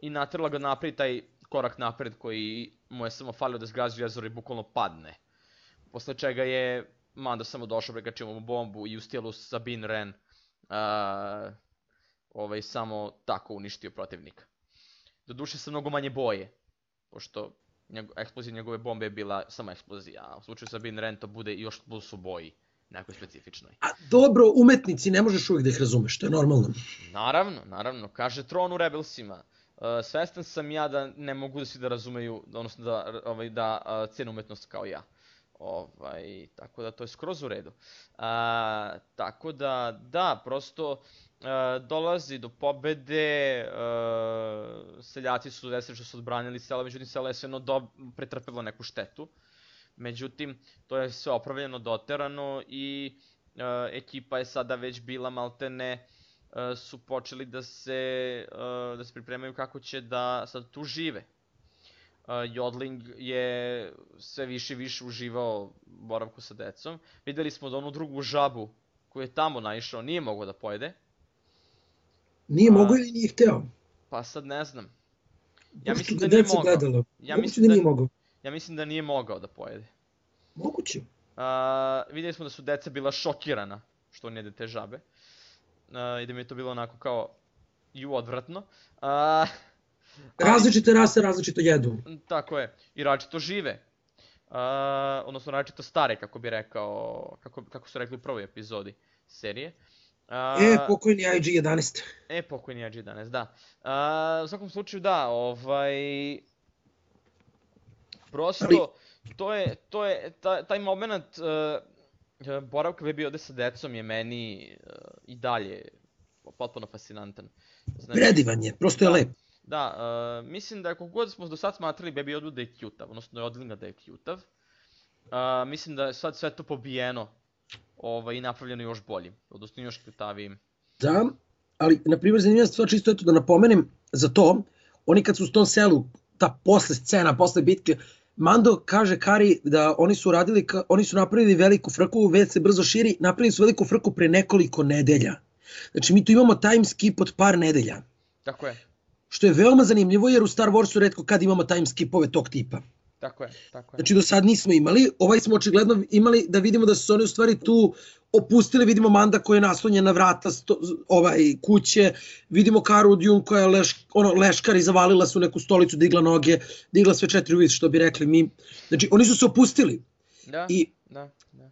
i natrla ga napred, taj korak napred koji mu je samo falio da zgazi jezero i bukvalno padne. Posle čega je Mando samo došao, prekačio mu bombu i u stilu Sabine Wren samo tako uništio protivnika. Doduše sa mnogo manje boje, pošto eksplozija njegove bombe je bila samo eksplozija, a u slučaju Sabine Wren to bude još plus u boji, nekoj specifičnoj. A dobro, umetnici ne možeš uvijek da ih razumeš, to je normalno. Naravno, kaže Tron u Rebelsima. Svestan sam ja da ne mogu da svi da razumeju, odnosno da cene umetnost kao ja. Tako da to je skroz u redu. Tako da, prosto dolazi do pobede, seljaci su desili što su odbranili selo, međutim selo je svejedno pretrpelo neku štetu. Međutim, to je sve opravljeno, doterano i ekipa je sada već bila maltene, su počeli da se pripremaju kako će da sad tu žive. Jodling je sve više i više uživao boravku sa decom. Videli smo da onu drugu žabu koju je tamo naišao nije mogao da pojede. Nije mogao ili nije hteo? Pa sad ne znam. Ja mislim da nije mogao. Ja mislim da nije mogao da pojede. Moguće. Videli smo da su deca bila šokirana što on jede te žabe. I da mi je to bilo onako kao odvratno. Različite rase različito jedu. Tako je. I različito žive. Odnosno različito stare, kako bi rekao, kako su rekli u prvoj epizodi serije. Pokojni IG-11. Pokojni IG-11, da. U svakom slučaju, da, prosto, to je, taj moment boravka bi bio ovde sa decom je meni i dalje potpuno fascinantan. Predivan je, prosto je lep. Da, mislim da kako god smo do sad smatrali Baby Yoda da je cute-av, odnosno Jodlinga da je cute-av, mislim da je sad sve to pobijeno i napravljeno još boljim, odnosno još cute-avijim. Da, ali na primjer zanimljiva stvar čisto eto da napomenem za to, oni kad su u tom selu, ta posle scena, posle bitke, Mando kaže Kari da oni su napravili veliku frku, već se brzo širi, napravili su veliku frku pre nekoliko nedelja. Znači mi tu imamo time skip od par nedelja. Tako je. Što je veoma zanimljivo jer u Star Warsu retko kad imamo time skipove tog tipa. Tako je. Znači do sad nismo imali, smo očigledno imali da vidimo da su se oni u stvari tu opustili, vidimo Manda koja je naslonjena na vrata kuće, vidimo Caru Dune koja je leškar i zavalila se u neku stolicu, digla noge, digla sve 4 uvice što bi rekli mi. Znači oni su se opustili. I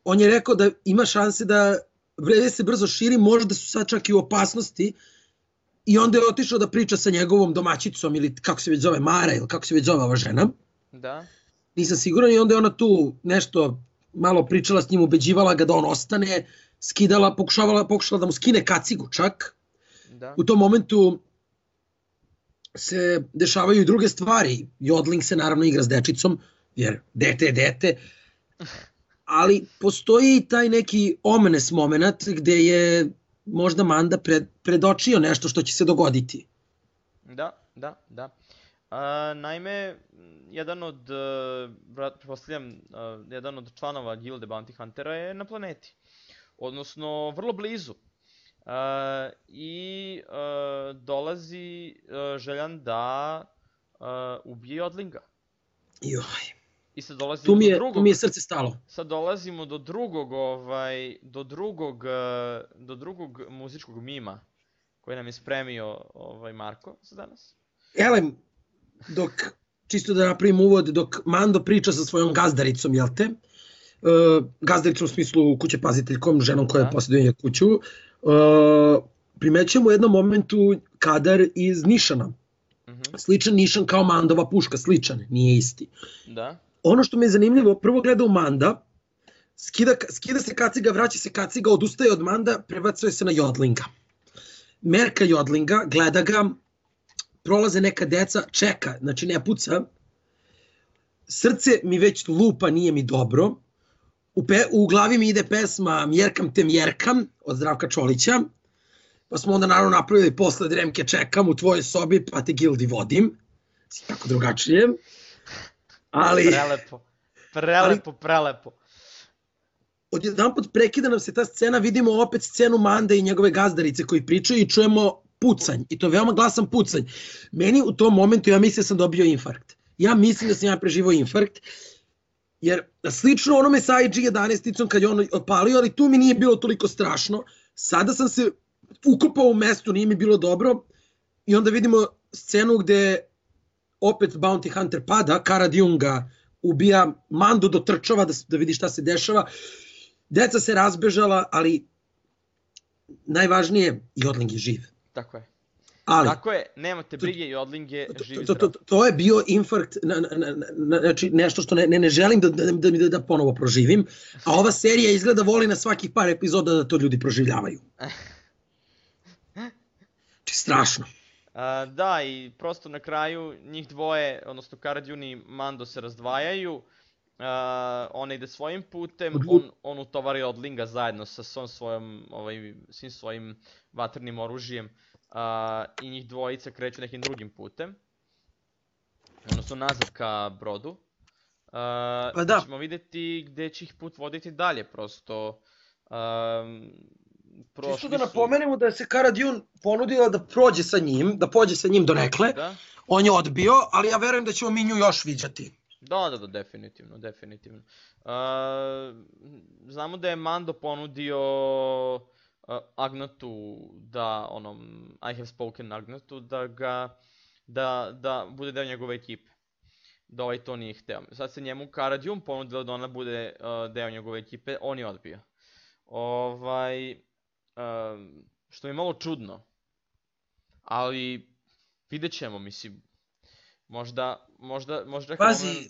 on je rekao da ima šanse da vreme se brzo širi, možda su sad čak i u opasnosti. I onda je otišao da priča sa njegovom domaćicom ili kako se već zove Mara ili kako se već zove ova žena. Da. Nisam siguran i onda je ona tu nešto malo pričala s njim, ubeđivala ga da on ostane, skidala, pokušala da mu skine kacigu čak. Da. U tom momentu se dešavaju i druge stvari. Jodling se naravno igra s dečicom, jer dete je dete. Ali postoji i taj neki omenes moment gde je možda Manda predočio nešto što će se dogoditi. Da. Naime, jedan od članova gilde Bounty Huntera je na planeti. Odnosno, vrlo blizu. I dolazi željan da ubije Jodlinga. I sad dolazimo do drugog... Tu mi je srce stalo. Sad dolazimo do drugog muzičkog mima koji nam je spremio Marko za danas. Elem, čisto da napravim uvod, dok Mando priča sa svojom gazdaricom, jel te? Gazdaricom u smislu kuće paziteljkom, ženom koja posjeduje kuću, primećujemo u jednom momentu kadar iz Nišana. Sličan Nišan kao Mandova puška, sličan, nije isti. Da. Ono što mi je zanimljivo, prvo gleda u Manda, skida se kaciga, vraća se kaciga, odustaje od Manda, prebacuje se na Jodlinga. Merka Jodlinga, gleda ga, prolaze neka deca, čeka, znači ne puca. Srce mi već lupa, nije mi dobro. U glavi mi ide pesma Mjerkam te mjerkam od Zdravka Čolića. Pa smo onda naravno napravili posle Dremke čekam u tvojoj sobi, pa te gildi vodim. Tako drugačije. Ali... Prelepo. Odjedan pot prekida nam se ta scena, vidimo opet scenu Mande i njegove gazdarice koji pričaju i čujemo pucanj. I to veoma glasan pucanj. Meni u tom momentu, ja mislim da sam dobio infarkt. Ja mislim da sam ja preživao infarkt. Jer slično onome sa IG-11-icom kad je on opalio, ali tu mi nije bilo toliko strašno. Sada sam se ukopao u mestu, nije mi bilo dobro. I onda vidimo scenu gde opet Bounty Hunter pada, Cara Dune ubija, Mando dotrčava da vidi šta se dešava. Deca se razbežala, ali najvažnije, Jodling je živ. Tako je. Ali, tako je, nemate brige, Jodling je živ i zdrav. To je bio infarkt, znači nešto što ne želim da ponovo proživim, a ova serija izgleda voli na svakih par epizoda da to ljudi proživljavaju. Strašno. Da, i prosto na kraju njih dvoje, odnosno Cara Dune i Mando se razdvajaju, ona ide svojim putem, on utovari Jodlinga zajedno sa svim svojim vatrenim oružjem i njih dvojica kreću nekim drugim putem, odnosno nazad ka brodu. Pa ćemo vidjeti gde će ih put voditi dalje, prosto... Čisto da napomenemo da je se Cara Dune ponudila da prođe sa njim donekle, on je odbio, ali ja verujem da ćemo mi nju još viđati. Da, definitivno. Znamo da je Mando ponudio Agnatu, I have spoken Agnatu, da bude deo njegove ekipe. Da to nije hteo. Sad se njemu Cara Dune ponudila da ona bude deo njegove ekipe, on je odbio. Što je malo čudno, ali vidjet ćemo, mislim, možda Pazi,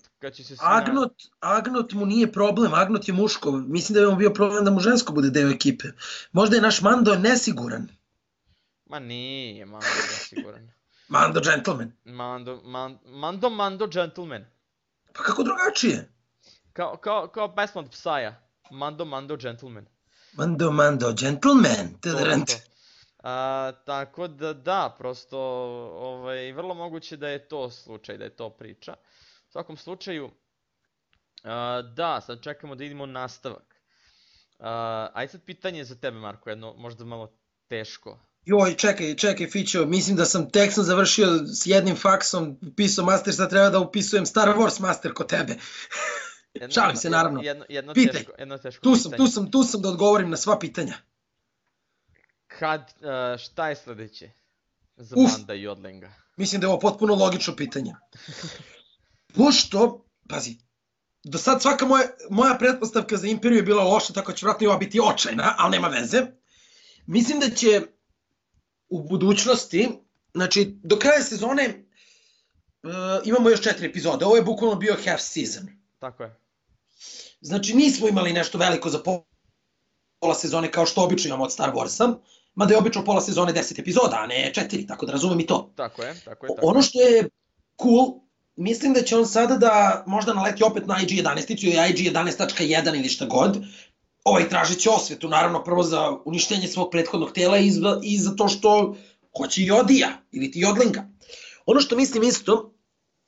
Agnot mu nije problem, Agnot je muško, mislim da je mu bio problem da mu žensko bude deo ekipe. Možda je naš Mando nesiguran. Ma nije Mando nesiguran. Mando gentleman. Mando gentleman. Pa kako drugačije? Kao pesma od Psaja, Mando gentleman. Mando, gentleman. Tako da, prosto, vrlo moguće da je to slučaj, da je to priča. U svakom slučaju, da, sad čekamo da idemo nastavak. Ajde sad pitanje za tebe, Marko, jedno možda malo teško. Joj, čekaj, Fićo, mislim da tek sam završio s jednim faksom, upisao master, sad treba da upisujem Star Wars master kod tebe. Šalim se, naravno. Pitaj, tu sam da odgovorim na sva pitanja. Šta je sledeće za Manda i Jodlinga? Mislim da je ovo potpuno logično pitanje. Pošto, pazi, do sad svaka moja pretpostavka za Imperiju je bila loša, tako će vratno i ova biti očajna, ali nema veze. Mislim da će u budućnosti, znači do kraja sezone imamo još 4 epizode, ovo je bukvalno bio half season. Tako je. Znači nismo imali nešto veliko za pola sezone kao što obično imamo od Star Warsa, mada je obično pola sezone 10 epizoda, a ne 4, tako da razumem i to. Tako je. Ono što je cool, mislim da će on sada da možda naleti opet na IG-11 ili IG-11.1 ili šta god, tražit će osvetu, naravno prvo za uništenje svog prethodnog tela i za to što hoće Jodija ili ti Jodlinga. Ono što mislim isto,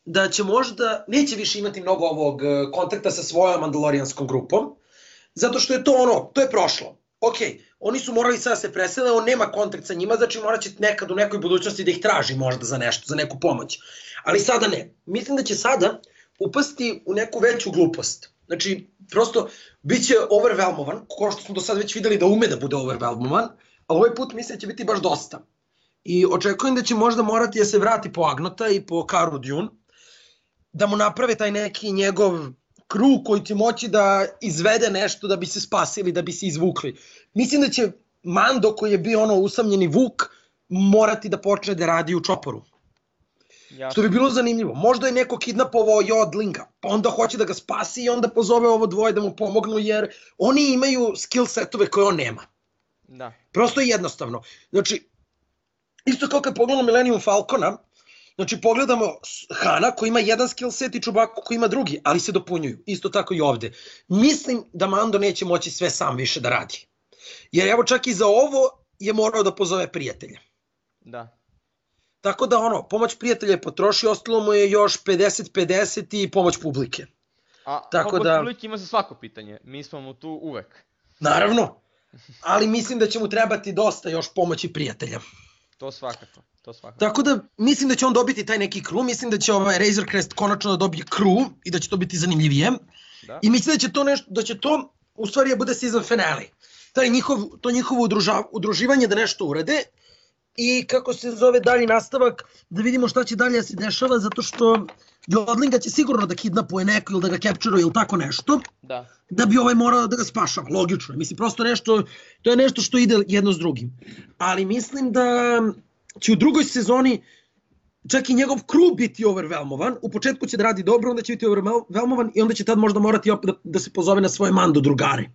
da će možda, neće više imati mnogo ovog kontakta sa svojom mandalorijanskom grupom, zato što je to je prošlo. Ok, oni su morali sada se presele, on nema kontakt sa njima, znači morat će nekad u nekoj budućnosti da ih traži možda za nešto, za neku pomoć. Ali sada ne. Mislim da će sada upasti u neku veću glupost. Znači, prosto, bit će overwhelmovan, kao što smo do sad već videli da ume da bude overwhelmovan, a ovaj put mislim da će biti baš dosta. I očekujem da će možda morati da se vrati po Agnota i po Cara Dune, da mu naprave taj neki njegov crew koji će moći da izvede nešto da bi se spasili, da bi se izvukli. Mislim da će Mando, koji je bio ono usamljeni vuk, morati da počne da radi u čoporu. Jasno. Što bi bilo zanimljivo. Možda je neko kidnapovao Jodlinga, pa onda hoće da ga spasi i onda pozove ovo dvoje da mu pomognu, jer oni imaju skill setove koje on nema. Da. Prosto je jednostavno. Znači, isto kao kad pogledamo Millennium Falcona, znači pogledamo Hana koji ima jedan skill set i Chewbacca koji ima drugi, ali se dopunjuju. Isto tako i ovde. Mislim da Mando neće moći sve sam više da radi. Jer evo čak i za ovo je morao da pozove prijatelja. Da. Tako da ono, pomoć prijatelja je potrošio, ostalo mu je još 50-50 i pomoć publike. A tako pomoć da, publike ima za svako pitanje, mi smo mu tu uvek. Naravno, ali mislim da će mu trebati dosta još pomoći prijatelja. To svakako, to svakako. Tako da mislim da će on dobiti taj neki crew, mislim da će Razor Crest konačno da dobije crew i da će to biti zanimljivije. Da. I mislim da će to nešto, da će to u stvari bude season finale. To njihovo udruživanje da nešto urade i kako se zove dalji nastavak, da vidimo šta će dalje se dešava, zato što Jodlinga će sigurno da kidnapuje neko ili da ga capture-uje ili tako nešto, da bi ovaj morao da ga spašava, logično. Mislim, prosto nešto, to je nešto što ide jedno s drugim. Ali mislim da će u drugoj sezoni čak i njegov crew biti overwhelmovan, u početku će da radi dobro, onda će biti overwhelmovan i onda će tad možda morati opet da se pozove na svoje Mando drugare.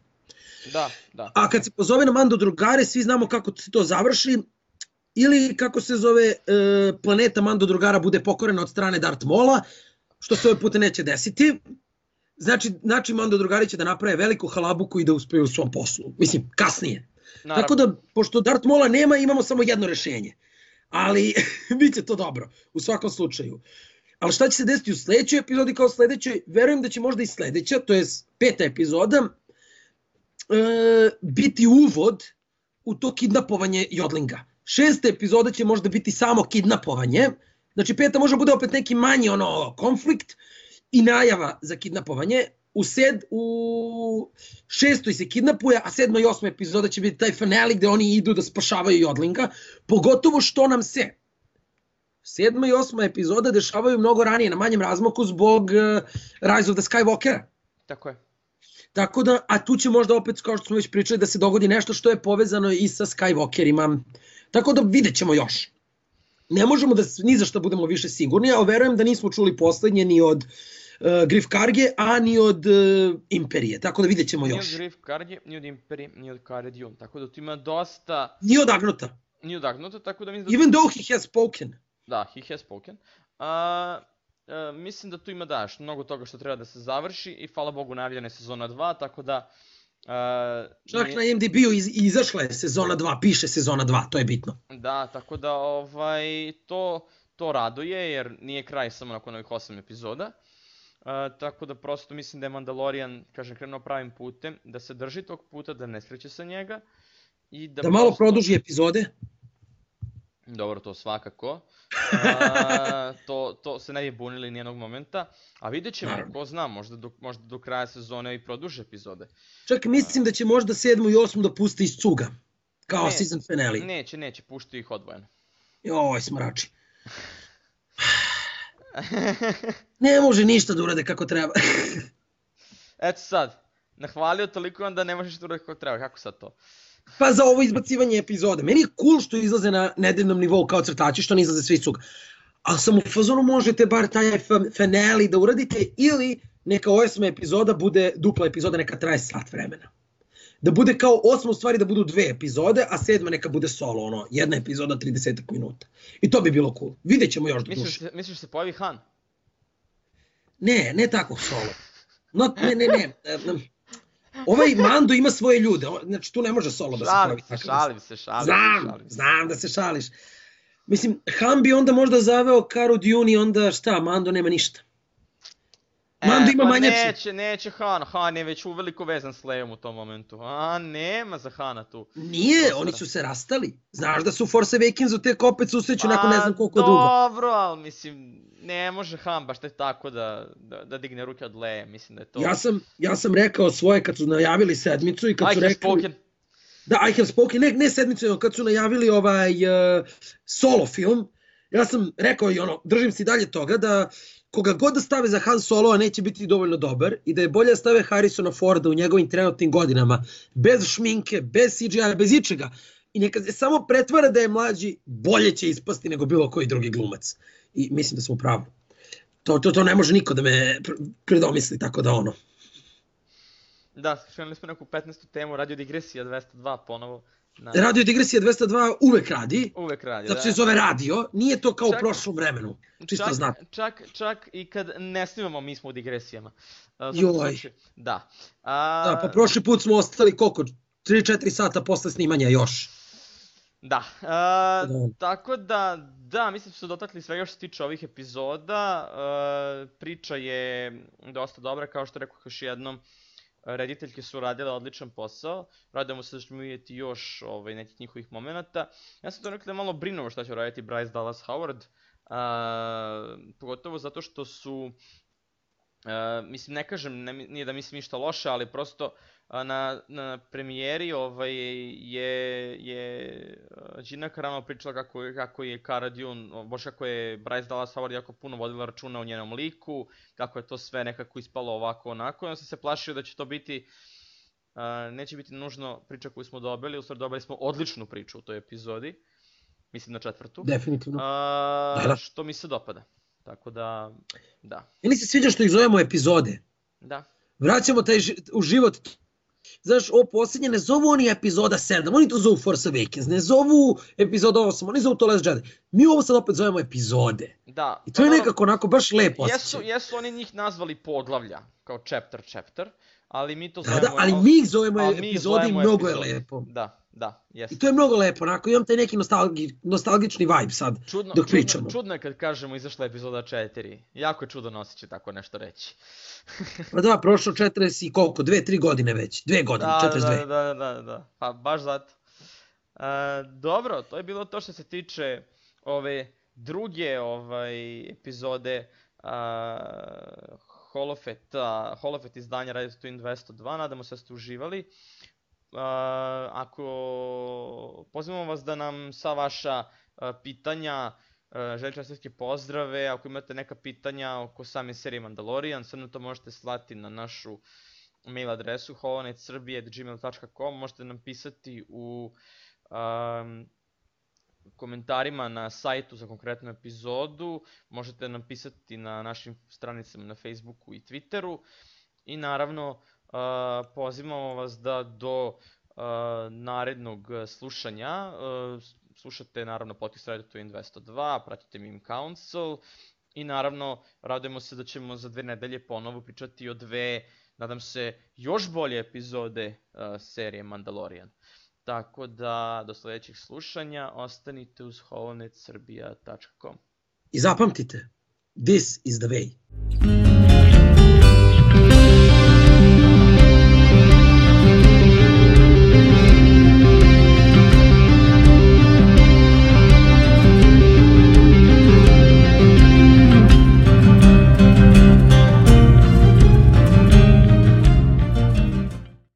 Da. A kad se pozove na Mando drugare, svi znamo kako se to završi, ili kako se zove, planeta Mando drugara bude pokorena od strane Darth Maula, što se ovaj put neće desiti. Znači Mando drugari će da naprave veliku halabuku i da uspeju u svom poslu. Mislim, kasnije. Naravno. Tako da, pošto Darth Maula nema, imamo samo jedno rešenje. Ali, bit će to dobro, u svakom slučaju. Ali šta će se desiti u sledećoj epizodi kao sledećoj? Verujem da će možda i sledeća, to je 5. epizoda, biti uvod u to kidnapovanje Jodlinga. 6. epizoda će možda biti samo kidnapovanje, znači 5. može bude opet neki manji konflikt i najava za kidnapovanje. U 6. se kidnapuje, a 7. i 8. epizoda će biti taj finale gde oni idu da spašavaju Jodlinga, pogotovo što nam se 7. i 8. epizoda dešavaju mnogo ranije, na manjem razmaku zbog Rise of the Skywalkera. Tako je. Tako da, a tu će možda opet, kao što smo već pričali, da se dogodi nešto što je povezano i sa Skywalkerima. Tako da vidjet ćemo još. Ne možemo da ni za što budemo više sigurni, a verujem da nismo čuli poslednje ni od Griff Karge, a ni od Imperije. Tako da vidjet ćemo još. Ni od Griff Karge, ni od Imperije, ni od Cara Dune. Tako da tu ima dosta... Ni od Agnota. Ni od Agnota, tako da mislim da... Even though he has spoken. Da, he has spoken. Mislim da tu ima mnogo toga što treba da se završi i hvala Bogu najavljena je sezona 2, tako da... Čak na IMDb-u izašla je sezona 2, piše sezona 2, to je bitno. Da, tako da to raduje jer nije kraj samo nakon ovih 8 epizoda. Tako da prosto mislim da je Mandalorian, krenuo pravim putem, da se drži tog puta, da ne skreće sa njega. I da malo produži epizode. Dobro, to svakako. To se ne bi bunili nijednog momenta. A vidjet ćemo, ko zna, možda do kraja sezone i produže epizode. Čak mislim da će možda 7. i 8. da puste iz cuga. Kao season finale. Neće, pušti ih odvojeno. Joj, smrači. Ne može ništa da urade kako treba. Eto sad, nahvalio toliko vam da ne možeš da urade kako treba, kako sad to? Pa za ovo izbacivanje epizode. Meni je cool što izlaze na nedeljnom nivou kao crtači, što ne izlaze svi cuga. Ali sam u fazonu možete bar taj finale da uradite ili neka 8. epizoda bude dupla epizoda, neka traje sat vremena. Da bude kao 8. u stvari da budu 2 epizode, a 7. neka bude solo, jedna epizoda 30 minuta. I to bi bilo cool. Vidjet ćemo još do duše. Misliš se pojavi Han? Ne tako solo. Ne. Ovaj Mando ima svoje ljude, znači tu ne može solo da se pojavi. Šalim se. Znam da se šališ. Mislim, Han bi onda možda zaveo Caru Dune i onda šta, Mando nema ništa. Mando ima pa manjaču. neće Han, Han je već uveliko vezan s Leijom u tom momentu. A nema za Hana tu. Nije, prostora. oni su se rastali. Znaš da su Force Awakensu tek opet susreću nakon ne znam koliko dugo. Dobro, ali mislim, ne može Han baš tako da digne ruke od Leije, mislim da je to... Ja sam rekao svoje kad su najavili sedmicu i kad su rekli... Spoken. Da, I have spoken, ne sedmicu, nego kad su najavili solo film, ja sam rekao i držim se i dalje toga da koga god da stave za Han Solo-a neće biti dovoljno dobar i da je bolje da stave Harrisona Forda u njegovim trenutnim godinama, bez šminke, bez CGI, bez ičega. I neka se samo pretvara da je mlađi, bolje će ispasti nego bilo koji drugi glumac. I mislim da smo u pravu. To ne može niko da me predomisli, tako da Da, krenuli smo neku 15. temu, Radio Digresija 202 ponovo. Radio Digresija 202 uvek radi. Uvek radi, zato se zove radio, nije to kao u prošlom vremenu. Čisto znate. Čak i kad ne snimamo, mi smo u digresijama. Joj. Da. Pa prošli put smo ostali koliko? 3-4 sata posle snimanja još. Da, tako da, mislim da su dotakli svega što se tiče ovih epizoda. Priča je dosta dobra, kao što rekao još jednom. Rediteljke su radile odličan posao, radimo se da ćemo vidjeti još nekih njihovih momenta. Ja sam to nekada malo brinuo šta će raditi Bryce Dallas Howard, pogotovo zato što su, mislim ne kažem, nije da mislim ništa loše, ali prosto na premijeri je Gina Carano pričala kako je Cara Dune, baš kako je Bryce Dallas Howard jako puno vodila računa o njenom liku, kako je to sve nekako ispalo ovako onako, i on sam se plašio da će to biti, neće biti nužno priča koju smo dobili, u stvari dobili smo odličnu priču u toj epizodi, mislim na 4. Definitivno. Što mi se dopada, tako da. Meni se sviđa što ih zovemo epizode. Da. Vraćamo taj u život. Znaš, ovo posljednje ne zovu oni epizoda 7, oni to zovu Force Awakens, ne zovu epizoda 8, oni zovu to Last Jedi. Mi ovo sad opet zovemo epizode. Da. I to je nekako onako baš lepo osjećaj. Jesu oni njih nazvali poglavlja, kao chapter, ali mi to zovemo... Da, ali mi ih zovemo epizode i mnogo je lepo. Da, jesu. I to je mnogo lepo, onako imam taj neki nostalgični vibe sad, dok pričamo. Čudno je kad kažemo izašla epizoda 4, jako je čudno osjećaj tako nešto reći. Pa da, prošlo 40 i koliko, 2-3 godine već, 2 godine, 42. Da, pa baš zato. Dobro, to je bilo to što se tiče ove druge epizode Holofet izdanja Radio Twin 202, nadamo se da ste uživali. Ako pozivamo vas da nam sva vaša pitanja, želite pozdrave, ako imate neka pitanja oko same serije Mandalorian, sve nam to možete slati na našu mail adresu holonetsrbije@gmail.com, možete nam pisati u komentarima na sajtu za konkretnu epizodu, možete nam pisati na našim stranicama na Facebooku i Twitteru i naravno pozivamo vas da do narednog slušanja slušate naravno podcast Radio Twin 202, pratite Meme Council i naravno radujemo se da ćemo za 2 nedelje ponovo pričati o 2, nadam se, još bolje epizode serije Mandalorian. Tako da do sljedećih slušanja ostanite uz holonetsrbija.com. I zapamtite, this is the way.